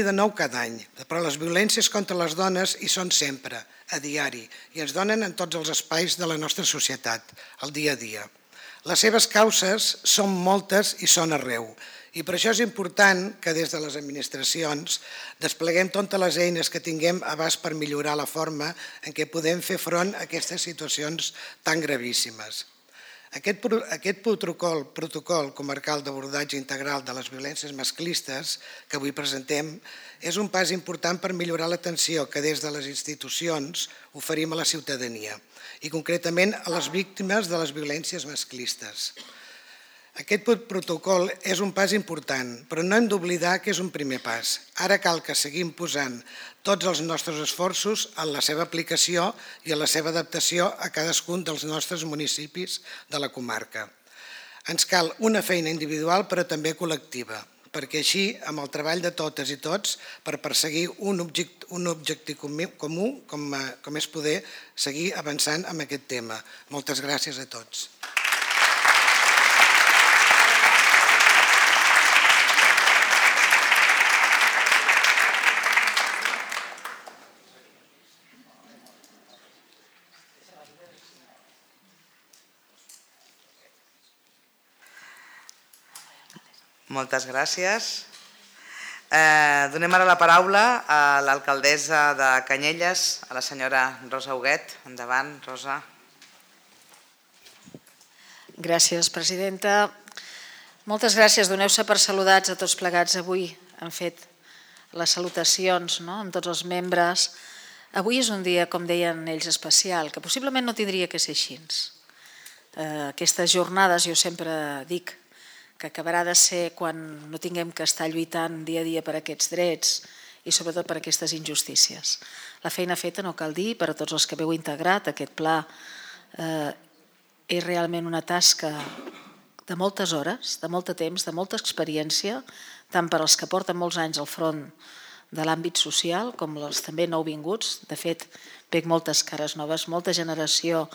de nou cada any, però les violències contra les dones hi són sempre, a diari, i ens donen en tots els espais de la nostra societat, el dia a dia. Les seves causes són moltes i són arreu, i per això és important que des de les administracions despleguem totes les eines que tinguem a abast per millorar la forma en què podem fer front a aquestes situacions tan gravíssimes. Aquest protocol comarcal d'abordatge integral de les violències masclistes que avui presentem és un pas important per millorar l'atenció que des de les institucions oferim a la ciutadania i concretament a les víctimes de les violències masclistes. Aquest protocol és un pas important, però no hem d'oblidar que és un primer pas. Ara cal que seguim posant tots els nostres esforços en la seva aplicació i en la seva adaptació a cadascun dels nostres municipis de la comarca. Ens cal una feina individual però també col·lectiva, perquè així, amb el treball de totes i tots, per perseguir un objectiu comú, com és poder seguir avançant en aquest tema. Moltes gràcies a tots. Moltes gràcies. Donem ara la paraula a l'alcaldessa de Canyelles, a la senyora Rosa Huguet. Endavant, Rosa. Gràcies, presidenta. Moltes gràcies. Doneu-se per saludats a tots plegats. Avui han fet les salutacions amb tots els membres. Avui és un dia, com deien ells, especial, que possiblement no tindria que ser així. Aquestes jornades, jo sempre dic, que acabarà de ser quan no tinguem que estar lluitant dia a dia per aquests drets i sobretot per aquestes injustícies. La feina feta, no cal dir, per a tots els que veu integrat aquest pla, és realment una tasca de moltes hores, de molt de temps, de molta experiència, tant per als que porten molts anys al front de l'àmbit social com els també nouvinguts. De fet, veig moltes cares noves, molta generació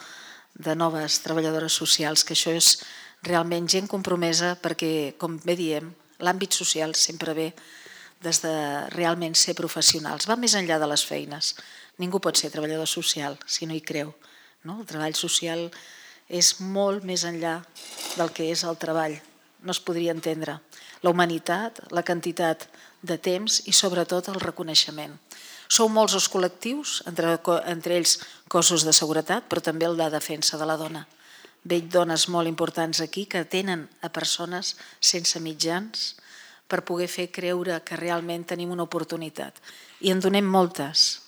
de noves treballadores socials, que això és realment gent compromesa perquè, com bé diem, l'àmbit social sempre ve des de realment ser professionals. Va més enllà de les feines. Ningú pot ser treballador social si no hi creu. El treball social és molt més enllà del que és el treball. No es podria entendre. La humanitat, la quantitat de temps i sobretot el reconeixement. Sou molts els col·lectius, entre ells cossos de seguretat, però també el de defensa de la dona. Veig dones molt importants aquí que atenen a persones sense mitjans per poder fer creure que realment tenim una oportunitat. I en donem moltes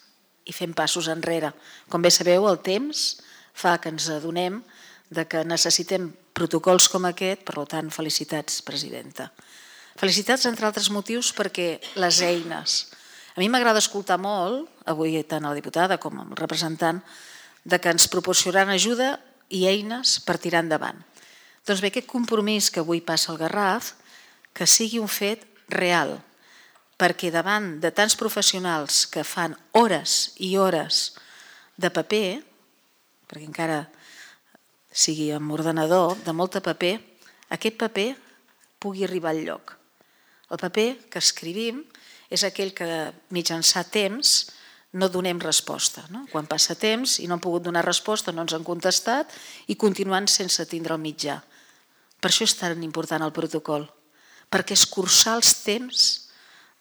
i fem passos enrere. Com bé sabeu, el temps fa que ens adonem que necessitem protocols com aquest, per tant, felicitats, presidenta. Felicitats, entre altres motius, perquè les eines. A mi m'agrada escoltar molt, avui tant a la diputada com al representant, que ens proporcionaran ajuda i eines per tirar endavant. Doncs bé, aquest compromís que avui passa al Garraf, que sigui un fet real, perquè davant de tants professionals que fan hores i hores de paper, perquè encara sigui amb ordenador, de molt de paper, aquest paper pugui arribar al lloc. El paper que escrivim és aquell que mitjançant temps no donem resposta. Quan passa temps i no han pogut donar resposta, no ens han contestat i continuant sense tindre el mitjà. Per això és tan important el protocol, perquè escurçar els temps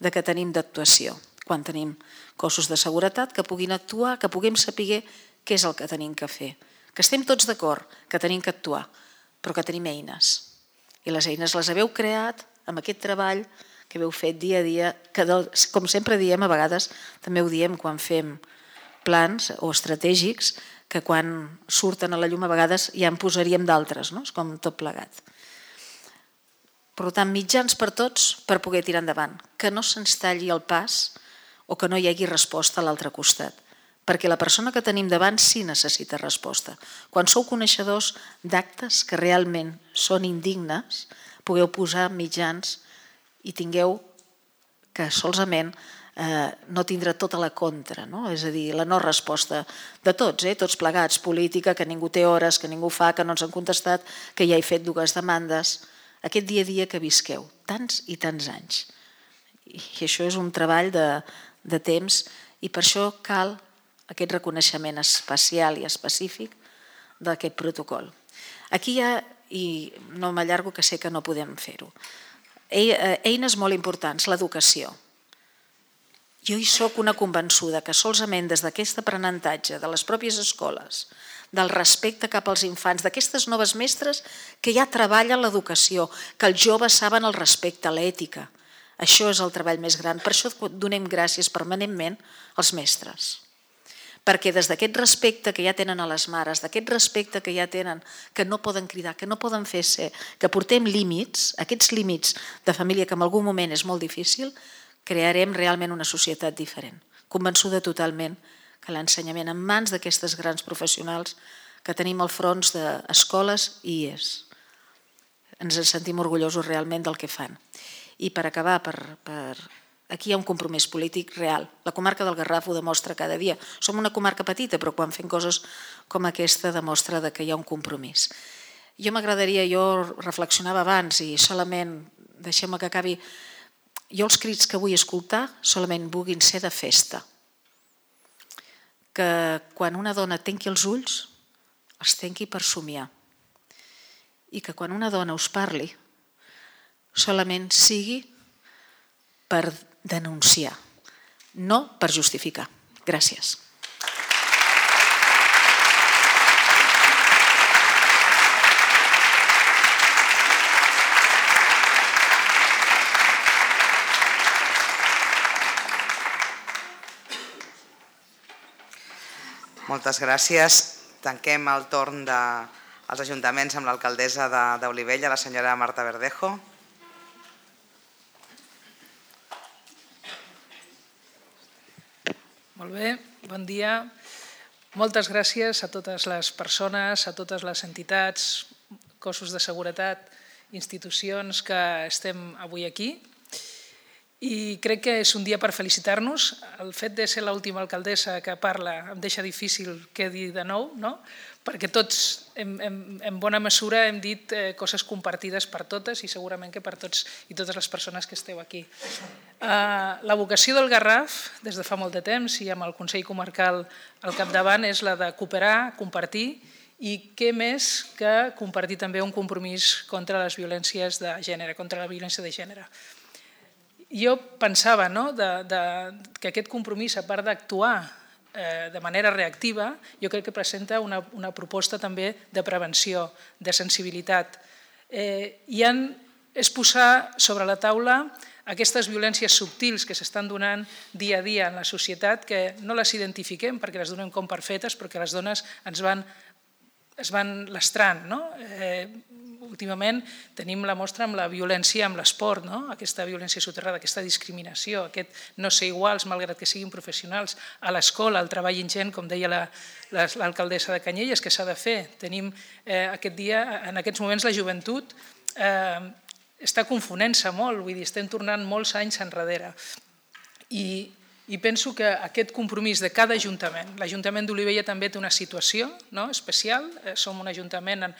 que tenim d'actuació. Quan tenim cossos de seguretat que puguin actuar, que puguem saber què és el que tenim que fer. Que estem tots d'acord que tenim que actuar, però que tenim eines. I les eines les haveu creat amb aquest treball que heu fet dia a dia, que com sempre diem, a vegades també ho diem quan fem plans o estratègics, que quan surten a la llum a vegades ja en posaríem d'altres, és com tot plegat. Per tant, mitjans per tots per poder tirar endavant, que no se'ns talli el pas o que no hi hagi resposta a l'altre costat, perquè la persona que tenim davant sí necessita resposta. Quan sou coneixedors d'actes que realment són indignes, pugueu posar mitjans i tingueu que solament no tindrà tota la contra, és a dir, la no resposta de tots, tots plegats, política, que ningú té hores, que ningú fa, que no ens han contestat, que ja he fet 2 demandes. Aquest dia a dia que visqueu, tants i tants anys. I això és un treball de temps i per això cal aquest reconeixement especial i específic d'aquest protocol. Aquí hi ha, i no m'allargo que sé que no podem fer-ho, eines molt importants, l'educació. Jo hi soc una convençuda que solament des d'aquest aprenentatge de les pròpies escoles, del respecte cap als infants, d'aquestes noves mestres que ja treballen l'educació, que els joves saben el respecte, l'ètica. Això és el treball més gran. Per això donem gràcies permanentment als mestres. Perquè des d'aquest respecte que ja tenen a les mares, d'aquest respecte que ja tenen, que no poden cridar, que no poden fer ser, que portem límits, aquests límits de família que en algun moment és molt difícil, crearem realment una societat diferent. Convençuda totalment que l'ensenyament en mans d'aquestes grans professionals que tenim al front d'escoles i IES. Ens en sentim orgullosos realment del que fan. I per acabar, aquí hi ha un compromís polític real. La comarca del Garraf ho demostra cada dia. Som una comarca petita, però quan fem coses com aquesta demostra que hi ha un compromís. Jo reflexionava abans i solament, deixeu-me que acabi, jo els crits que vull escoltar solament vulguin ser de festa. Que quan una dona tanqui els ulls, els tanqui per somiar. I que quan una dona us parli, solament sigui per denunciar, no per justificar. Gràcies. Moltes gràcies. Tanquem el torn dels ajuntaments amb l'alcaldessa d'Olivella, la senyora Marta Verdejo. Molt bé, bon dia. Moltes gràcies a totes les persones, a totes les entitats, cossos de seguretat, institucions que estem avui aquí. I crec que és un dia per felicitar-nos. El fet de ser l'última alcaldessa que parla em deixa difícil què dir de nou, no? perquè tots, en bona mesura, hem dit coses compartides per totes i segurament que per tots i totes les persones que esteu aquí. La vocació del Garraf, des de fa molt de temps i amb el Consell Comarcal al capdavant, és la de cooperar, compartir i què més que compartir també un compromís contra les violències de gènere, contra la violència de gènere. Jo pensava que aquest compromís, a part d'actuar de manera reactiva, jo crec que presenta una proposta també de prevenció, de sensibilitat. És posar sobre la taula aquestes violències subtils que s'estan donant dia a dia en la societat, que no les identifiquem perquè les donem com per fetes, perquè les dones es van lastrant. Últimament tenim la mostra amb la violència amb l'esport, aquesta violència soterrada, aquesta discriminació, aquest no ser iguals malgrat que siguin professionals, a l'escola, el treball ingent, com deia l'alcaldessa de Canyelles, que s'ha de fer. Tenim aquest dia, en aquests moments la joventut està confonent-se molt, vull dir, estem tornant molts anys enrere. I penso que aquest compromís de cada ajuntament, l'Ajuntament d'Olivella també té una situació especial, som un ajuntament amb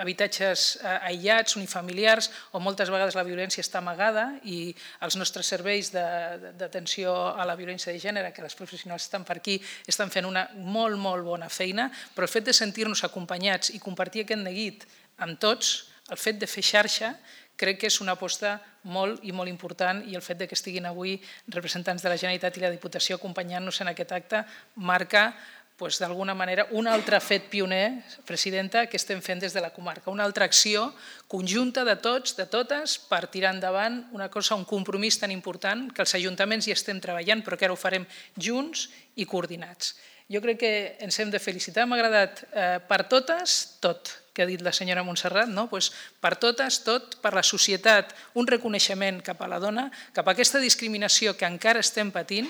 habitatges aïllats, unifamiliars, on moltes vegades la violència està amagada i els nostres serveis d'atenció a la violència de gènere, que les professionals estan per aquí, estan fent una molt, molt bona feina, però el fet de sentir-nos acompanyats i compartir aquest neguit amb tots, el fet de fer xarxa, crec que és una aposta molt i molt important i el fet que estiguin avui representants de la Generalitat i la Diputació acompanyant-nos en aquest acte marca d'alguna manera un altre fet pioner, presidenta, que estem fent des de la comarca, una altra acció conjunta de tots, de totes, per tirar endavant una cosa, un compromís tan important que els ajuntaments hi estem treballant però que ara ho farem junts i coordinats. Jo crec que ens hem de felicitar, m'ha agradat per totes, tot, que ha dit la senyora Montserrat, per totes, tot, per la societat, un reconeixement cap a la dona, cap a aquesta discriminació que encara estem patint,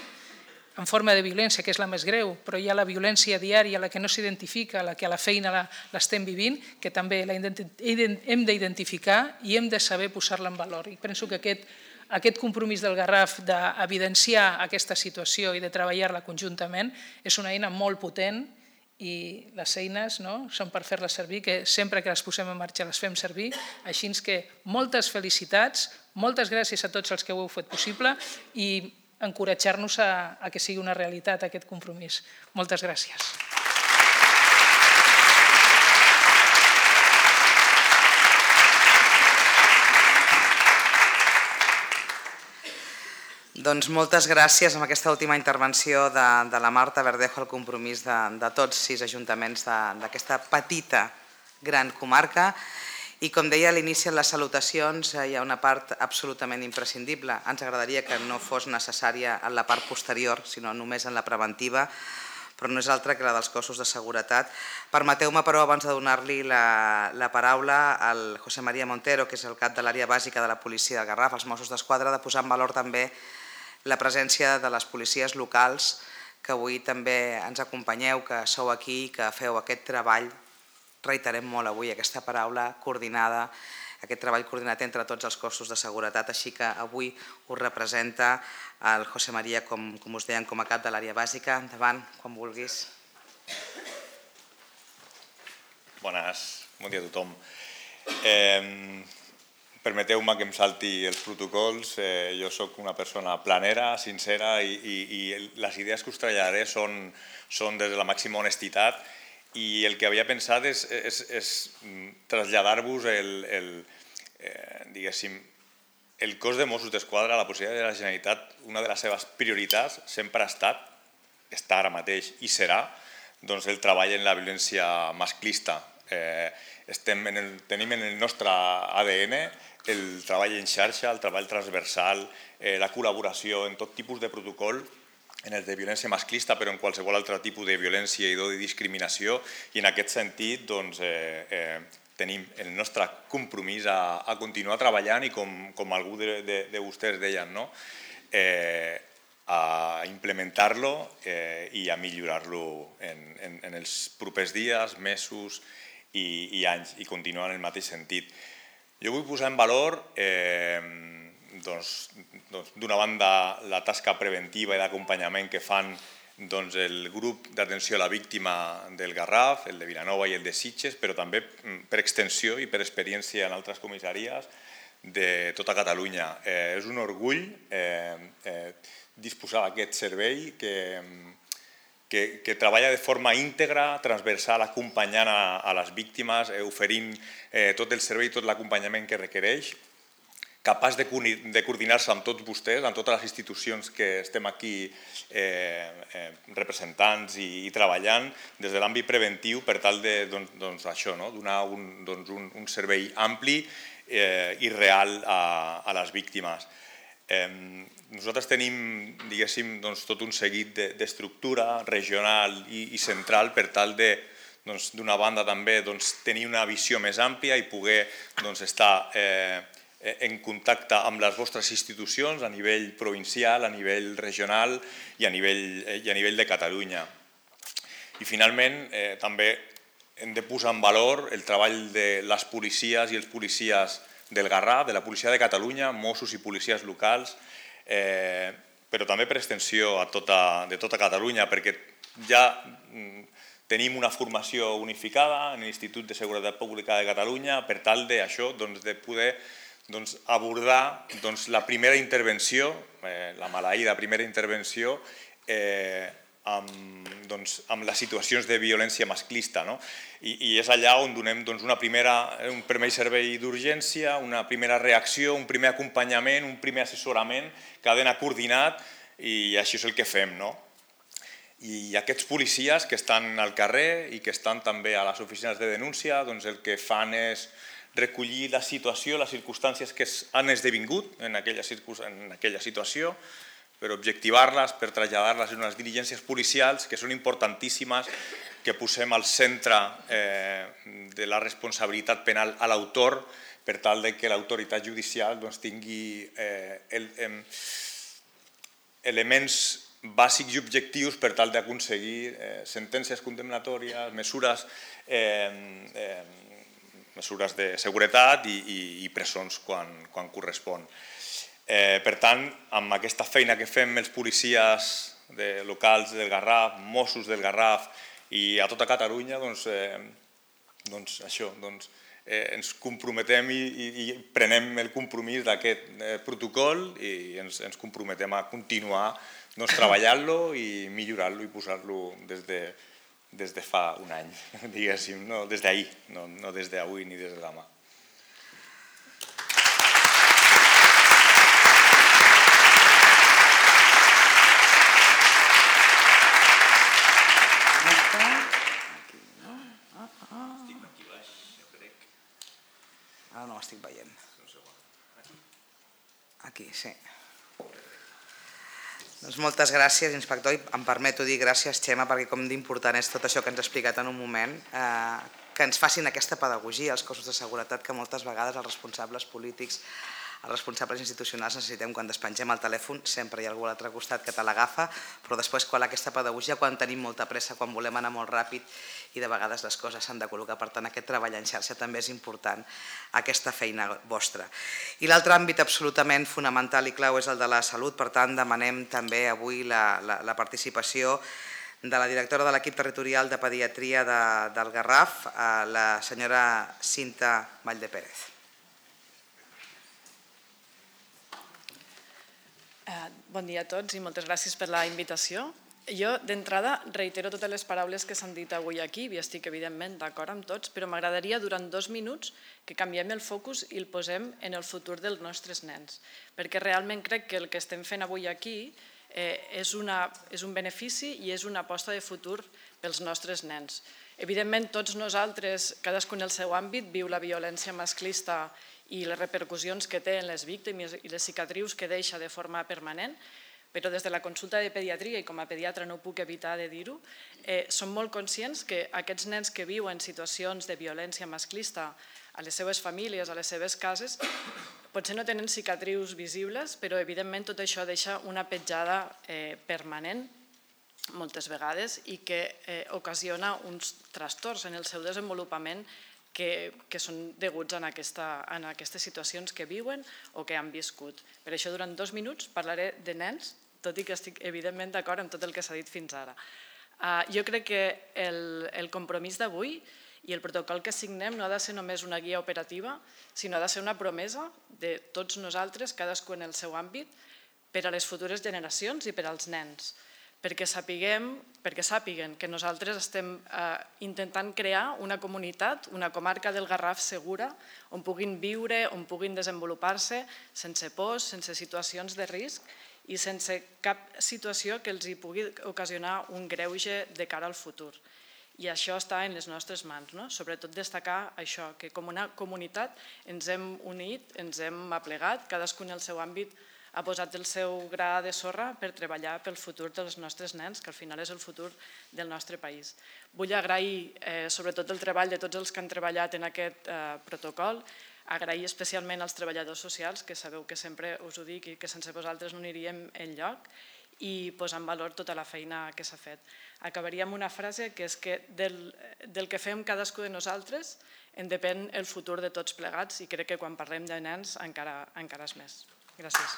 en forma de violència, que és la més greu, però hi ha la violència diària, la que no s'identifica, la que a la feina l'estem vivint, que també hem d'identificar i hem de saber posar-la en valor. I penso que aquest compromís del Garraf d'evidenciar aquesta situació i de treballar-la conjuntament és una eina molt potent i les eines són per fer-les servir, que sempre que les posem en marxa les fem servir, així que moltes felicitats, moltes gràcies a tots els que ho heu fet possible i encoratjar-nos a que sigui una realitat aquest compromís. Moltes gràcies. Doncs moltes gràcies amb aquesta última intervenció de la Marta Verdejo, el compromís de tots 6 ajuntaments d'aquesta petita gran comarca. I com deia a l'inici en les salutacions, hi ha una part absolutament imprescindible. Ens agradaria que no fos necessària en la part posterior, sinó només en la preventiva, però no és altra que la dels cossos de seguretat. Permeteu-me, però, abans de donar-li la paraula al José María Montero, que és el cap de l'àrea bàsica de la policia del Garraf, els Mossos d'Esquadra, de posar en valor també la presència de les policies locals, que avui també ens acompanyeu, que sou aquí i que feu aquest treball, reiterem molt avui aquesta paraula, coordinada, aquest treball coordinat entre tots els cossos de seguretat, així que avui us representa el José María, com us deien, com a cap de l'àrea bàsica. Endavant, quan vulguis. Bones, bon dia a tothom. Permeteu-me que em salti els protocols. Jo soc una persona planera, sincera i les idees que us traslladaré són des de la màxima honestitat i el que havia pensat és traslladar-vos el cos de Mossos d'Esquadra, la policia de la Generalitat, una de les seves prioritats sempre ha estat, està ara mateix i serà, el treball en la violència masclista. Tenim en el nostre ADN el treball en xarxa, el treball transversal, la col·laboració en tot tipus de protocol, en el de violència masclista, però en qualsevol altre tipus de violència i de discriminació, i en aquest sentit tenim el nostre compromís a continuar treballant i, com algú de vostès deien, a implementar-lo i a millorar-lo en els propers dies, mesos i anys, i continuar en el mateix sentit. Jo vull posar en valor, d'una banda, la tasca preventiva i d'acompanyament que fan doncs, el grup d'atenció a la víctima del Garraf, el de Vilanova i el de Sitges, però també per extensió i per experiència en altres comissaries de tota Catalunya. És un orgull disposar d'aquest servei que treballa de forma íntegra, transversal, acompanyant a les víctimes, oferint tot el servei, tot l'acompanyament que requereix, capaç de coordinar-se amb tots vostès, amb totes les institucions que estem aquí representants i treballant des de l'àmbit preventiu per tal de donar un servei ampli i real a les víctimes. Nosaltres tenim, diguéssim, tot un seguit d'estructura regional i central per tal de, d'una banda també, tenir una visió més àmplia i poder estar en contacte amb les vostres institucions a nivell provincial, a nivell regional i a nivell de Catalunya. I finalment també hem de posar en valor el treball de les policies i els policies del Garraf, de la policia de Catalunya, Mossos i policies locals, però també per extensió de tota Catalunya, perquè ja tenim una formació unificada en l'Institut de Seguretat Pública de Catalunya per tal d'això, de poder abordar la primera intervenció, la maleïda primera intervenció, amb les situacions de violència masclista. I és allà on donem un primer servei d'urgència, una primera reacció, un primer acompanyament, un primer assessorament que ha d'anar coordinat i això és el que fem. I aquests policies que estan al carrer i que estan també a les oficines de denúncia, el que fan és recollir la situació, les circumstàncies que han esdevingut en aquella situació, per objectivar-les, per traslladar-les en unes diligències policials que són importantíssimes, que posem al centre de la responsabilitat penal a l'autor per tal que l'autoritat judicial tingui elements bàsics i objectius per tal d'aconseguir sentències condemnatòries, mesures de seguretat i presons quan correspon. Per tant, amb aquesta feina que fem els policies locals del Garraf, Mossos del Garraf i a tota Catalunya, ens comprometem i prenem el compromís d'aquest protocol i ens comprometem a continuar treballant-lo i millorant-lo i posar-lo des de fa un any, diguéssim, des d'ahir, no des d'avui ni des de demà. Ara no l'estic veient. Aquí, sí. Doncs moltes gràcies, inspector, i em permeto dir gràcies, Xema, perquè com d'important és tot això que ens ha explicat en un moment, que ens facin aquesta pedagogia als cossos de seguretat que moltes vegades els responsables polítics, els responsables institucionals necessitem quan despengem el telèfon, sempre hi ha algú a l'altre costat que te l'agafa, però després quan aquesta pedagogia, quan tenim molta pressa, quan volem anar molt ràpid i de vegades les coses s'han de col·locar, per tant aquest treball en xarxa també és important, aquesta feina vostra. I l'altre àmbit absolutament fonamental i clau és el de la salut, per tant demanem també avui la participació de la directora de l'equip territorial de pediatria del Garraf, la senyora Cinta Valldepérez. Bon dia a tots i moltes gràcies per la invitació. Jo, d'entrada, reitero totes les paraules que s'han dit avui aquí, i estic evidentment d'acord amb tots, però m'agradaria durant 2 minuts que canviem el focus i el posem en el futur dels nostres nens, perquè realment crec que el que estem fent avui aquí és un benefici i és una aposta de futur pels nostres nens. Evidentment, tots nosaltres, cadascun en el seu àmbit, viu la violència masclista i les repercussions que té en les víctimes i les cicatrius que deixa de forma permanent, però des de la consulta de pediatria, i com a pediatra no puc evitar de dir-ho, som molt conscients que aquests nens que viuen situacions de violència masclista a les seves famílies, a les seves cases, potser no tenen cicatrius visibles, però evidentment tot això deixa una petjada permanent moltes vegades i que ocasiona uns trastorns en el seu desenvolupament que són deguts a aquestes situacions que viuen o que han viscut. Per això, durant 2 minuts parlaré de nens, tot i que estic evidentment d'acord amb tot el que s'ha dit fins ara. Jo crec que el compromís d'avui i el protocol que signem no ha de ser només una guia operativa, sinó ha de ser una promesa de tots nosaltres, cadascú en el seu àmbit, per a les futures generacions i per als nens, perquè sàpiguen que nosaltres estem intentant crear una comunitat, una comarca del Garraf segura, on puguin viure, on puguin desenvolupar-se sense pors, sense situacions de risc i sense cap situació que els hi pugui ocasionar un greuge de cara al futur. I això està en les nostres mans, sobretot destacar això, que com una comunitat ens hem unit, ens hem aplegat, cadascú en el seu àmbit ha posat el seu gra de sorra per treballar pel futur dels nostres nens, que al final és el futur del nostre país. Vull agrair sobretot el treball de tots els que han treballat en aquest protocol, agrair especialment als treballadors socials, que sabeu que sempre us ho dic i que sense vosaltres no aniríem enlloc, i posar en valor tota la feina que s'ha fet. Acabaria amb una frase que és que del que fem cadascú de nosaltres en depèn el futur de tots plegats i crec que quan parlem de nens encara és més. Gràcies.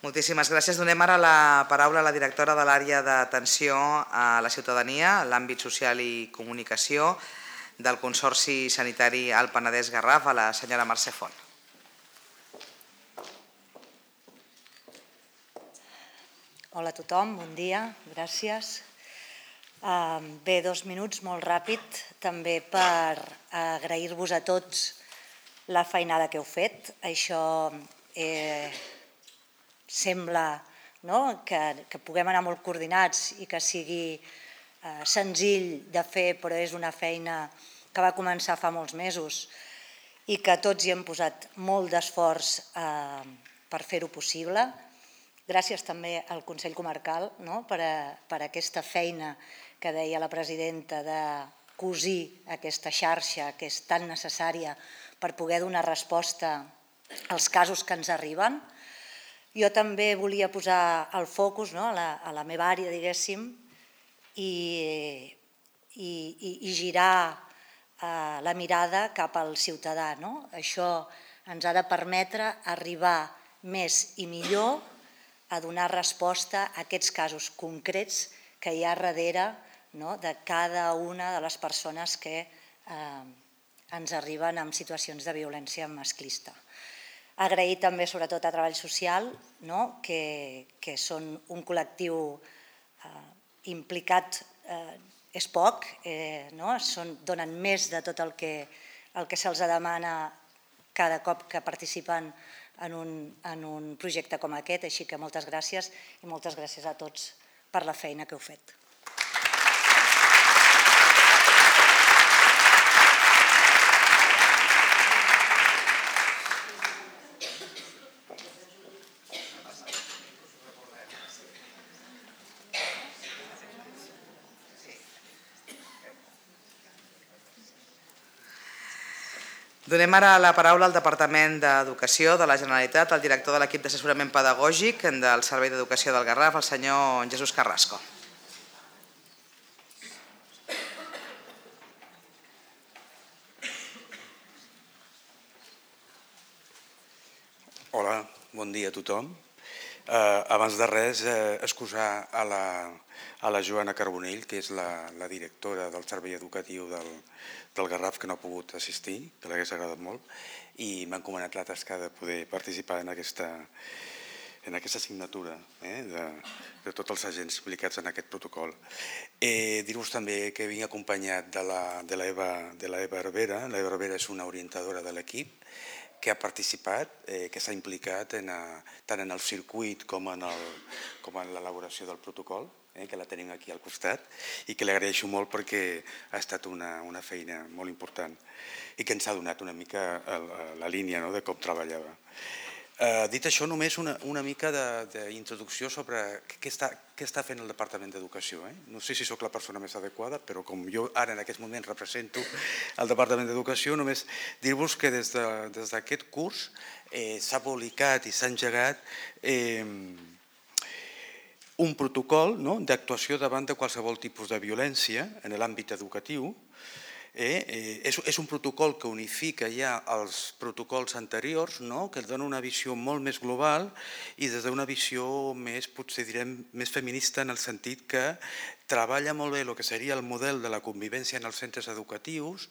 Moltíssimes gràcies. Donem ara la paraula a la directora de l'àrea d'atenció a la ciutadania, l'àmbit social i comunicació del Consorci Sanitari Alt Penedès-Garraf, a la senyora Mercè Font. Hola a tothom, bon dia, gràcies. Bé, 2 minuts, molt ràpid, també per agrair-vos a tots la feinada que heu fet. Això sembla que puguem anar molt coordinats i que sigui senzill de fer, però és una feina que va començar fa molts mesos i que tots hi hem posat molt d'esforç per fer-ho possible. Gràcies també al Consell Comarcal per aquesta feina que deia la presidenta de cosir aquesta xarxa que és tan necessària per poder donar resposta als casos que ens arriben. Jo també volia posar el focus a la meva àrea, diguéssim, i girar la mirada cap al ciutadà. Això ens ha de permetre arribar més i millor a donar resposta a aquests casos concrets que hi ha darrere de cada una de les persones que ens arriben en situacions de violència masclista. Agrair també sobretot a Treball Social, que són un col·lectiu implicat, és poc, donen més de tot el que se'ls demana cada cop que participen en un projecte com aquest, així que moltes gràcies i moltes gràcies a tots per la feina que heu fet. Donem ara la paraula al Departament d'Educació de la Generalitat, al director de l'equip d'assessorament pedagògic del Servei d'Educació del Garraf, el senyor Jesús Carrasco. Hola, bon dia a tothom. Abans de res, excusar a la Joana Carbonell, que és la directora del Servei Educatiu del Garraf, que no ha pogut assistir, que l'hagués agradat molt, i m'ha encomanat la tasca de poder participar en aquesta assignatura de tots els agents implicats en aquest protocol. Dir-vos també que vinc acompanyat de l'Eva Hervera. L'Eva Hervera és una orientadora de l'equip que ha participat, que s'ha implicat tant en el circuit com en l'elaboració del protocol, que la tenim aquí al costat, i que li agraeixo molt perquè ha estat una feina molt important i que ens ha donat una mica la línia de com treballava. Dit això, només una mica d'introducció sobre què està fent el Departament d'Educació. No sé si sóc la persona més adequada, però com jo ara en aquest moment represento el Departament d'Educació, només dir-vos que des d'aquest curs s'ha publicat i s'ha engegat un protocol d'actuació davant de qualsevol tipus de violència en l'àmbit educatiu. És un protocol que unifica ja els protocols anteriors, que ens dona una visió molt més global i des d'una visió més, potser direm, més feminista en el sentit que treballa molt bé el que seria el model de la convivència en els centres educatius,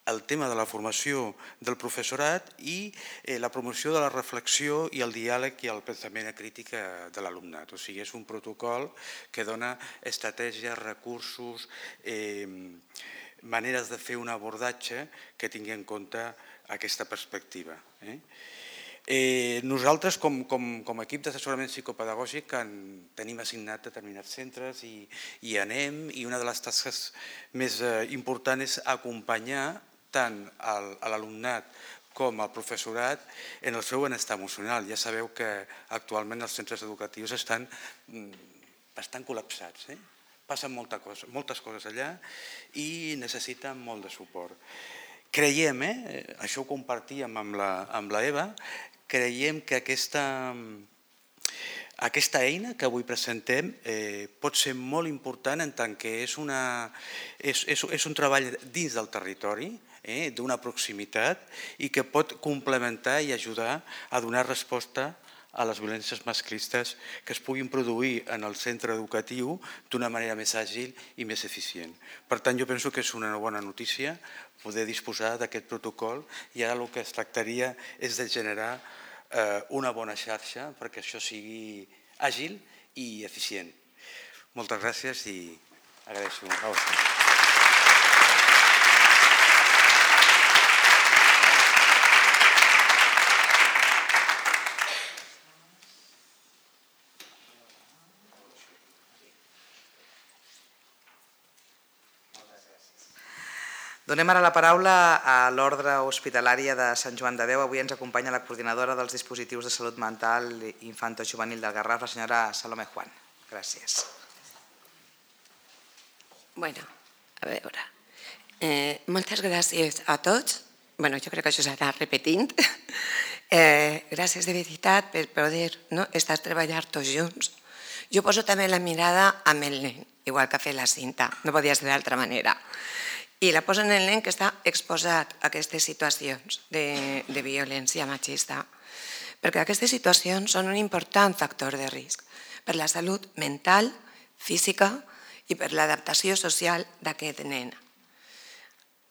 el tema de la formació del professorat i la promoció de la reflexió i el diàleg i el pensament crític de l'alumnat. O sigui, és un protocol que dona estratègies, recursos, maneres de fer un abordatge que tingui en compte aquesta perspectiva. Nosaltres, com a equip d'assessorament psicopedagògic, tenim assignat determinats centres i anem, i una de les tasques més importants és acompanyar tant a l'alumnat com al professorat en el seu benestar emocional. Ja sabeu que actualment els centres educatius estan bastant col·lapsats. Passen moltes coses allà i necessiten molt de suport. Creiem, això ho compartíem amb la Eva, creiem que aquesta eina que avui presentem pot ser molt important en tant que és un treball dins del territori, d'una proximitat i que pot complementar i ajudar a donar resposta a les violències masclistes que es puguin produir en el centre educatiu d'una manera més àgil i més eficient. Per tant, jo penso que és una bona notícia poder disposar d'aquest protocol i ara el que es tractaria és de generar una bona xarxa perquè això sigui àgil i eficient. Moltes gràcies i agraeixo a vostè. Donem ara la paraula a l'Ordre Hospitalària de Sant Joan de Déu. Avui ens acompanya la coordinadora dels dispositius de salut mental infanto-juvenil del Garraf, la senyora Salomé Juan. Gràcies. Bueno, a veure, moltes gràcies a tots. Bueno, jo crec que això s'anà repetint. Gràcies de veritat per poder estar treballant tots junts. Jo poso també la mirada amb el nen, igual que ha fet la Cinta, no podia ser d'altra manera. I la posa en el nen que està exposat a aquestes situacions de violència machista, perquè aquestes situacions són un important factor de risc per la salut mental, física i per l'adaptació social d'aquest nen.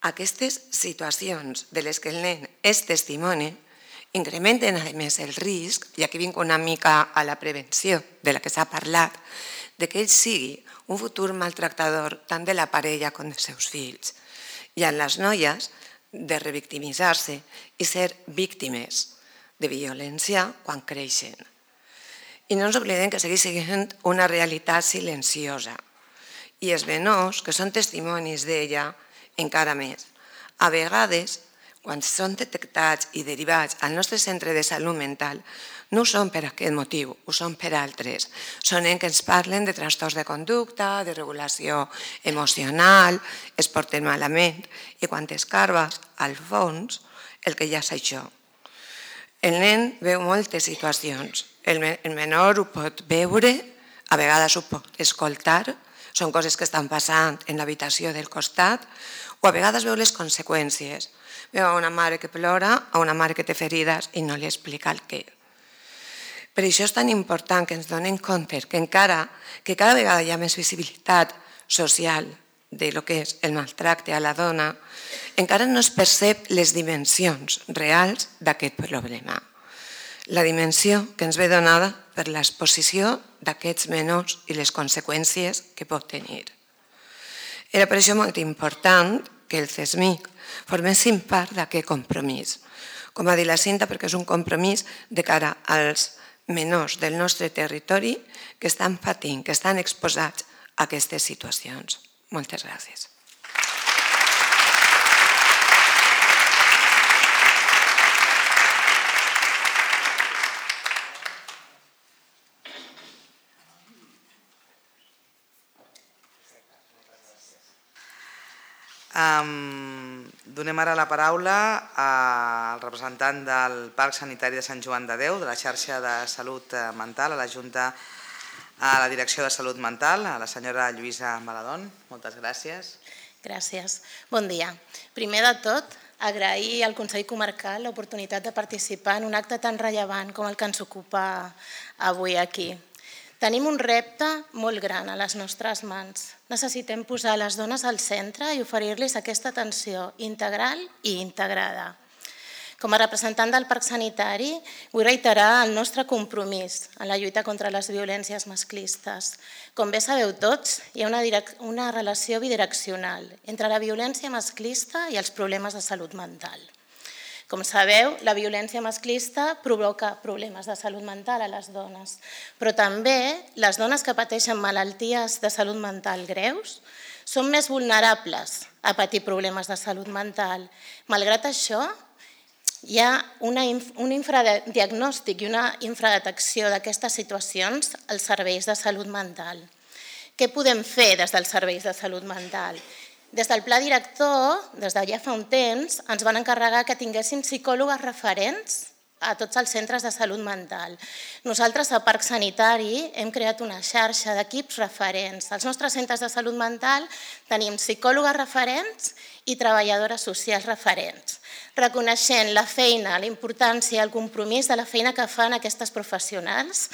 Aquestes situacions de les que el nen és testimoni incrementen a més el risc, i aquí vinc una mica a la prevenció de la que s'ha parlat, de que ell sigui un futur maltractador tant de la parella com dels seus fills, i en les noies de revictimitzar-se i ser víctimes de violència quan creixen. I no ens oblidem que segueix sent una realitat silenciosa i els menors, que són testimonis d'ella, encara més. A vegades, quan són detectats i derivats al nostre centre de salut mental, no ho són per aquest motiu, ho són per altres. Són que ens parlen de trastorns de conducta, de regulació emocional, es porten malament, i quan escarbes, al fons, el que hi ha és això. El nen veu moltes situacions. El menor ho pot veure, a vegades ho pot escoltar, són coses que estan passant en l'habitació del costat, o a vegades veu les conseqüències. Veu a una mare que plora, a una mare que té ferides i no li explica el què. Per això és tan important que ens donem compte que encara que cada vegada hi ha més visibilitat social de lo que és el maltracte a la dona, encara no es percep les dimensions reals d'aquest problema. La dimensió que ens ve donada per l'exposició d'aquests menors i les conseqüències que pot tenir. Era per això molt important que el CESMIC formessin part d'aquest compromís. Com ha dit la Cinta, perquè és un compromís de cara als menors del nostre territori que estan patint, que estan exposats a aquestes situacions. Moltes gràcies. Donem ara la paraula al representant del Parc Sanitari de Sant Joan de Déu, de la xarxa de salut mental, a la Junta, a la Direcció de Salut Mental, a la senyora Lluïsa Maladón. Moltes gràcies. Gràcies. Bon dia. Primer de tot, agrair al Consell Comarcal l'oportunitat de participar en un acte tan rellevant com el que ens ocupa avui aquí. Tenim un repte molt gran a les nostres mans. Necessitem posar les dones al centre i oferir-los aquesta atenció integral i integrada. Com a representant del Parc Sanitari, vull reiterar el nostre compromís en la lluita contra les violències masclistes. Com bé sabeu tots, hi ha una relació bidireccional entre la violència masclista i els problemes de salut mental. Com sabeu, la violència masclista provoca problemes de salut mental a les dones, però també les dones que pateixen malalties de salut mental greus són més vulnerables a patir problemes de salut mental. Malgrat això, hi ha un infradiagnòstic i una infradetecció d'aquestes situacions als serveis de salut mental. Què podem fer des dels serveis de salut mental? Des del pla director, des de ja fa un temps, ens van encarregar que tinguéssim psicòlogues referents a tots els centres de salut mental. Nosaltres, a Parc Sanitari, hem creat una xarxa d'equips referents. Als nostres centres de salut mental tenim psicòlogues referents i treballadores socials referents, reconeixent la feina, la importància i el compromís de la feina que fan aquestes professionals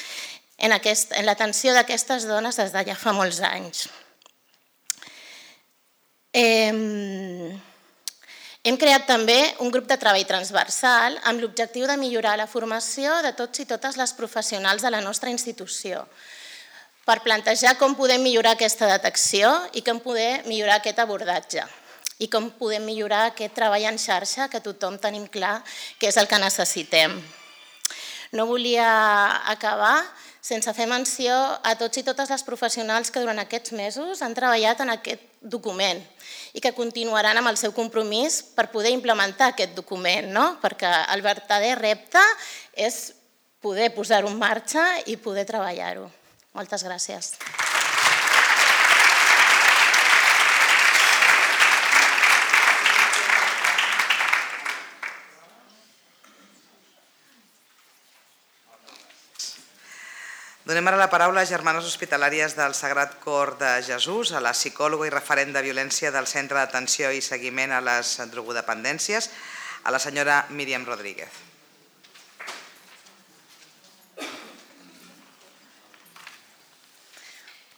en l'atenció d'aquestes dones des de ja fa molts anys. Hem creat també un grup de treball transversal amb l'objectiu de millorar la formació de tots i totes les professionals de la nostra institució per plantejar com podem millorar aquesta detecció i com podem millorar aquest abordatge i com podem millorar aquest treball en xarxa que tothom tenim clar que és el que necessitem. No volia acabar sense fer menció a tots i totes les professionals que durant aquests mesos han treballat en aquest document i que continuaran amb el seu compromís per poder implementar aquest document, perquè el verdader repte és poder posar-ho en marxa i poder treballar-ho. Moltes gràcies. Donem ara la paraula a Germanes Hospitalàries del Sagrat Cor de Jesús, a la psicòloga i referent de violència del Centre d'Atenció i Seguiment a les Drogodependències, a la senyora Míriam Rodríguez.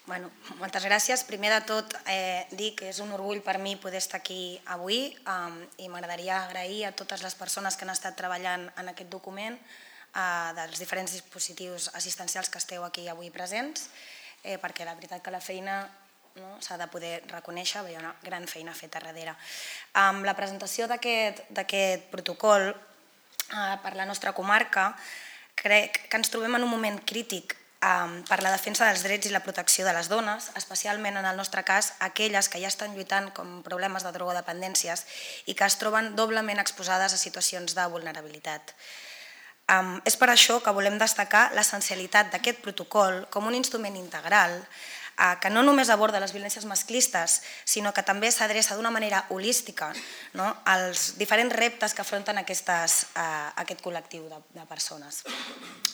Moltes gràcies. Primer de tot, dir que és un orgull per mi poder estar aquí avui i m'agradaria agrair a totes les persones que han estat treballant en aquest document, dels diferents dispositius assistencials que esteu aquí avui presents, perquè la veritat que la feina s'ha de poder reconèixer, hi ha una gran feina feta darrere. Amb la presentació d'aquest protocol per la nostra comarca, crec que ens trobem en un moment crític per la defensa dels drets i la protecció de les dones, especialment en el nostre cas aquelles que ja estan lluitant com problemes de drogodependències i que es troben doblement exposades a situacions de vulnerabilitat. És per això que volem destacar l'essencialitat d'aquest protocol com un instrument integral que no només aborda les violències masclistes, sinó que també s'adreça d'una manera holística als diferents reptes que afronten aquest col·lectiu de persones.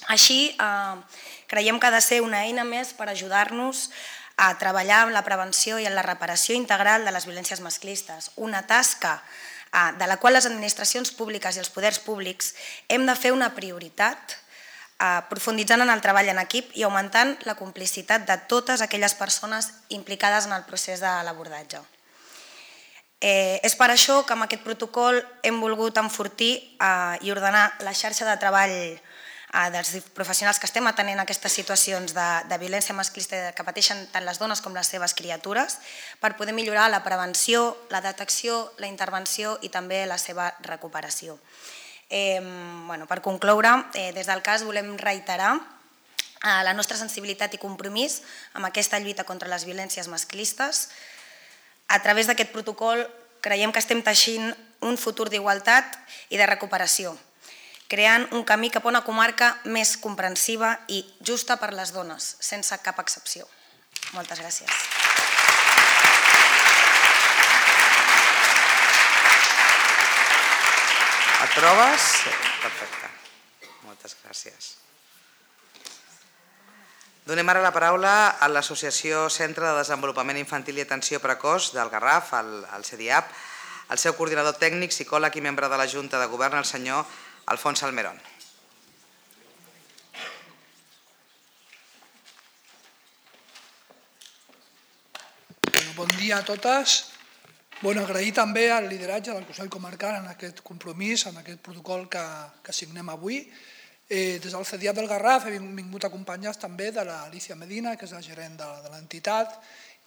Així, creiem que ha de ser una eina més per ajudar-nos a treballar en la prevenció i en la reparació integral de les violències masclistes, una tasca de la qual les administracions públiques i els poders públics hem de fer una prioritat, profunditzant en el treball en equip i augmentant la complicitat de totes aquelles persones implicades en el procés de l'abordatge. És per això que amb aquest protocol hem volgut enfortir i ordenar la xarxa de treball dels professionals que estem atenent aquestes situacions de violència masclista que pateixen tant les dones com les seves criatures per poder millorar la prevenció, la detecció, la intervenció i també la seva recuperació. Per concloure, des del CAS volem reiterar la nostra sensibilitat i compromís amb aquesta lluita contra les violències masclistes. A través d'aquest protocol creiem que estem teixint un futur d'igualtat i de recuperació, creant un camí cap a una comarca més comprensiva i justa per les dones, sense cap excepció. Moltes gràcies. Proves? Perfecte. Moltes gràcies. Donem ara la paraula a l'Associació Centre de Desenvolupament Infantil i Atenció Precoç del Garraf, el CEDIAP, el seu coordinador tècnic, psicòleg i membre de la Junta de Govern, el senyor Alfons Almerón. Bon dia a totes. Agrair també el lideratge del Consell Comarcal en aquest compromís, en aquest protocol que signem avui. Des del CEDIAP del Garraf hem vingut acompanyats també de l'Alicia Medina, que és la gerent de l'entitat,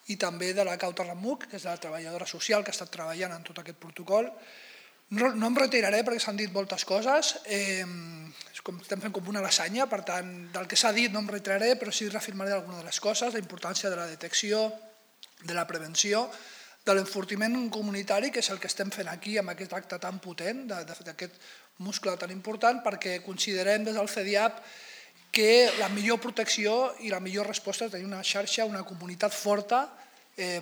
i també de la Cauta Ramuc, que és la treballadora social que ha estat treballant en tot aquest protocol. No em retiraré perquè s'han dit moltes coses, estem fent com una lasanya, per tant, del que s'ha dit no em retiraré, però sí reafirmaré algunes de les coses, la importància de la detecció, de la prevenció, de l'enfortiment comunitari, que és el que estem fent aquí amb aquest acte tan potent, d'aquest muscle tan important, perquè considerem des del CEDIAP que la millor protecció i la millor resposta és tenir una xarxa, una comunitat forta,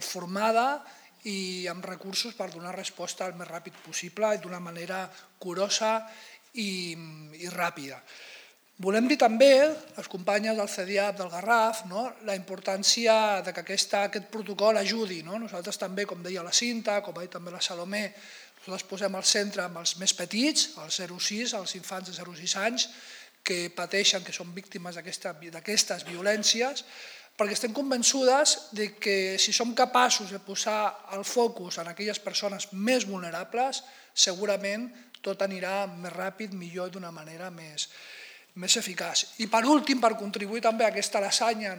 formada i amb recursos per donar resposta el més ràpid possible i d'una manera curosa i ràpida. Volem dir també, les companyes del CEDIAP del Garraf, la importància que aquest protocol ajudi. Nosaltres també, com deia la Cinta, com ha dit també la Salomé, nosaltres posem al centre amb els més petits, els 0-6, els infants de 0-6 anys, que pateixen, que són víctimes d'aquestes violències, perquè estem convençudes que si som capaços de posar el focus en aquelles persones més vulnerables, segurament tot anirà més ràpid, millor, d'una manera més eficaç. I per últim, per contribuir també a aquesta lasanya,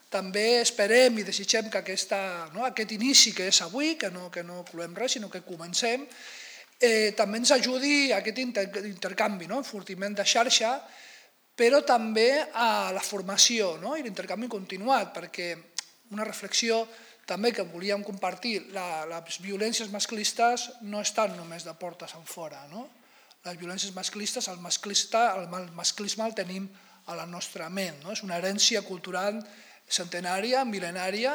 també esperem i desitgem que aquest inici que és avui, que no cloem res, sinó que comencem, també ens ajudi a aquest intercanvi, enfortiment de xarxa, però també a la formació i l'intercanvi continuat, perquè una reflexió també que volíem compartir, les violències masclistes no estan només de portes enfora, les violències masclistes, el masclisme el tenim a la nostra ment, és una herència cultural centenària, mil·lenària,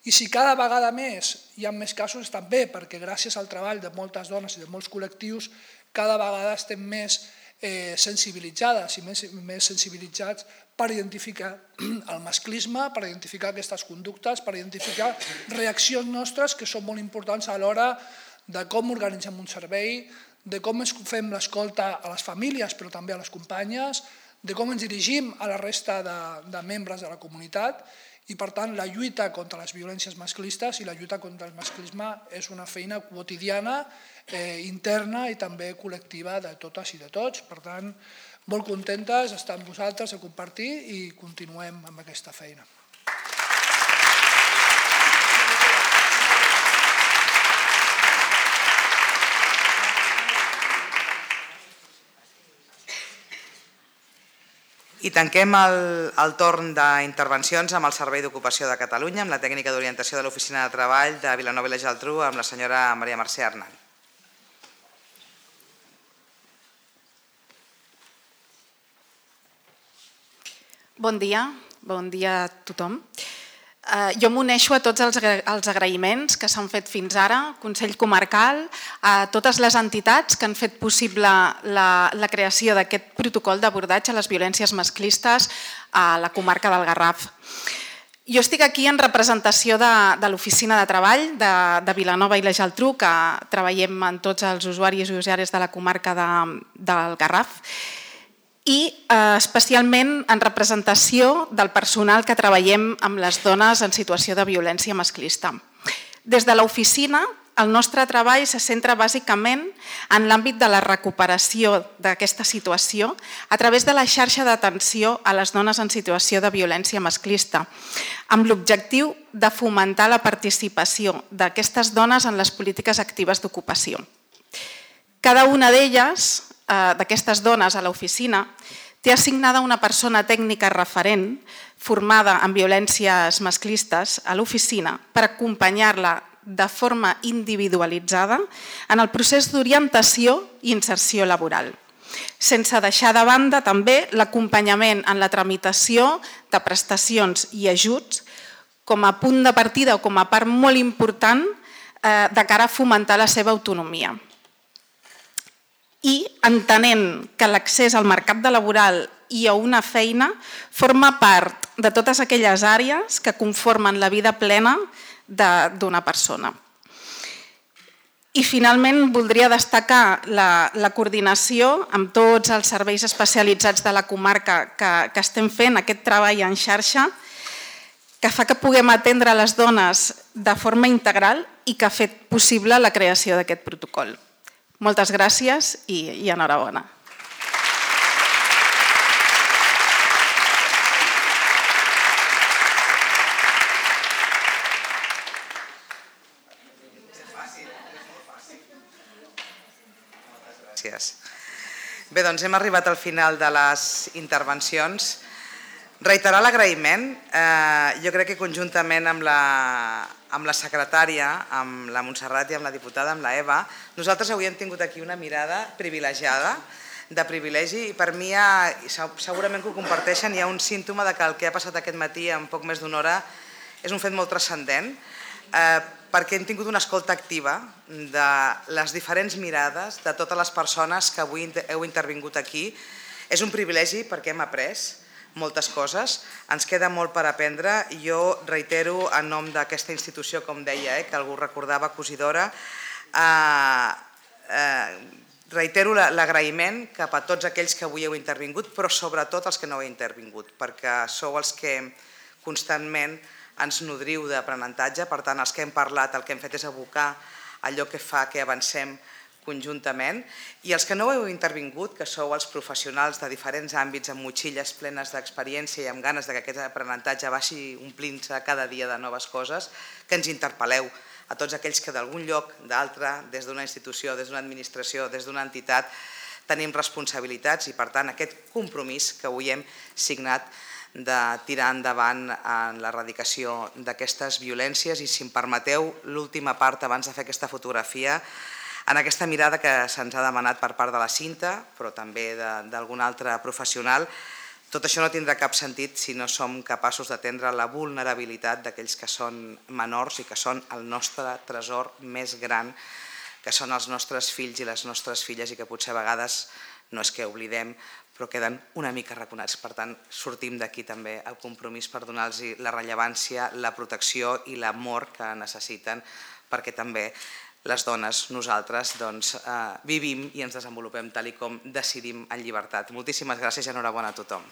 i si cada vegada més hi ha més casos també perquè gràcies al treball de moltes dones i de molts col·lectius cada vegada estem més sensibilitzades i més sensibilitzats per identificar el masclisme, per identificar aquestes conductes, per identificar reaccions nostres que són molt importants a l'hora de com organitzem un servei, de com fem l'escolta a les famílies però també a les companyes, de com ens dirigim a la resta de membres de la comunitat i per tant la lluita contra les violències masclistes i la lluita contra el masclisme és una feina quotidiana, interna i també col·lectiva de totes i de tots. Per tant, molt contentes d'estar amb vosaltres, de compartir i continuem amb aquesta feina. I tanquem el torn d'intervencions amb el Servei d'Ocupació de Catalunya, amb la tècnica d'orientació de l'Oficina de Treball de Vilanova i la Geltrú, amb la senyora Maria Mercè Arnal. Bon dia a tothom. Jo m'uneixo a tots els agraïments que s'han fet fins ara, Consell Comarcal, a totes les entitats que han fet possible la creació d'aquest protocol d'abordatge a les violències masclistes a la comarca del Garraf. Jo estic aquí en representació de l'Oficina de Treball de Vilanova i la Geltrú, que treballem amb tots els usuaris i usuàries de la comarca del Garraf, i especialment en representació del personal que treballem amb les dones en situació de violència masclista. Des de l'oficina, el nostre treball se centra bàsicament en l'àmbit de la recuperació d'aquesta situació a través de la xarxa d'atenció a les dones en situació de violència masclista, amb l'objectiu de fomentar la participació d'aquestes dones en les polítiques actives d'ocupació. Cada una d'elles, d'aquestes dones a l'oficina, té assignada una persona tècnica referent formada en violències masclistes a l'oficina per acompanyar-la de forma individualitzada en el procés d'orientació i inserció laboral, sense deixar de banda també l'acompanyament en la tramitació de prestacions i ajuts com a punt de partida o com a part molt important de cara a fomentar la seva autonomia. i entenent que l'accés al mercat laboral i a una feina forma part de totes aquelles àrees que conformen la vida plena d'una persona. I finalment voldria destacar la coordinació amb tots els serveis especialitzats de la comarca que estem fent, aquest treball en xarxa, que fa que puguem atendre les dones de forma integral i que ha fet possible la creació d'aquest protocol. Moltes gràcies i enhorabona. Gràcies. Bé, doncs hem arribat al final de les intervencions. Reiterar l'agraïment. Jo crec que conjuntament amb la secretària, amb la Montserrat i amb la diputada, amb la Eva, nosaltres avui hem tingut aquí una mirada privilegiada, de privilegi, i per mi segurament que ho comparteixen, hi ha un símptoma que el que ha passat aquest matí en poc més d'una hora és un fet molt transcendent, perquè hem tingut una escolta activa de les diferents mirades de totes les persones que avui heu intervingut aquí. És un privilegi perquè hem après moltes coses, ens queda molt per aprendre i jo reitero en nom d'aquesta institució, com deia, que algú recordava, Cosidora, reitero l'agraïment cap a tots aquells que avui heu intervingut, però sobretot els que no heu intervingut, perquè sou els que constantment ens nodriu d'aprenentatge, per tant els que hem parlat el que hem fet és abocar allò que fa que avancem conjuntament, i els que no heu intervingut, que sou els professionals de diferents àmbits amb motxilles plenes d'experiència i amb ganes que aquest aprenentatge vagi omplint-se cada dia de noves coses, que ens interpel·leu a tots aquells que d'algun lloc, d'altre, des d'una institució, des d'una administració, des d'una entitat, tenim responsabilitats i per tant aquest compromís que avui hem signat de tirar endavant en l'erradicació d'aquestes violències. I si em permeteu, l'última part abans de fer aquesta fotografia, en aquesta mirada que se'ns ha demanat per part de la Cinta, però també d'algun altre professional, tot això no tindrà cap sentit si no som capaços d'atendre la vulnerabilitat d'aquells que són menors i que són el nostre tresor més gran, que són els nostres fills i les nostres filles i que potser a vegades no és que oblidem, però queden una mica arraconats. Per tant, sortim d'aquí també el compromís per donar-los la rellevància, la protecció i l'amor que necessiten, perquè també les dones, nosaltres, vivim i ens desenvolupem tal com decidim en llibertat. Moltíssimes gràcies i enhorabona a tothom.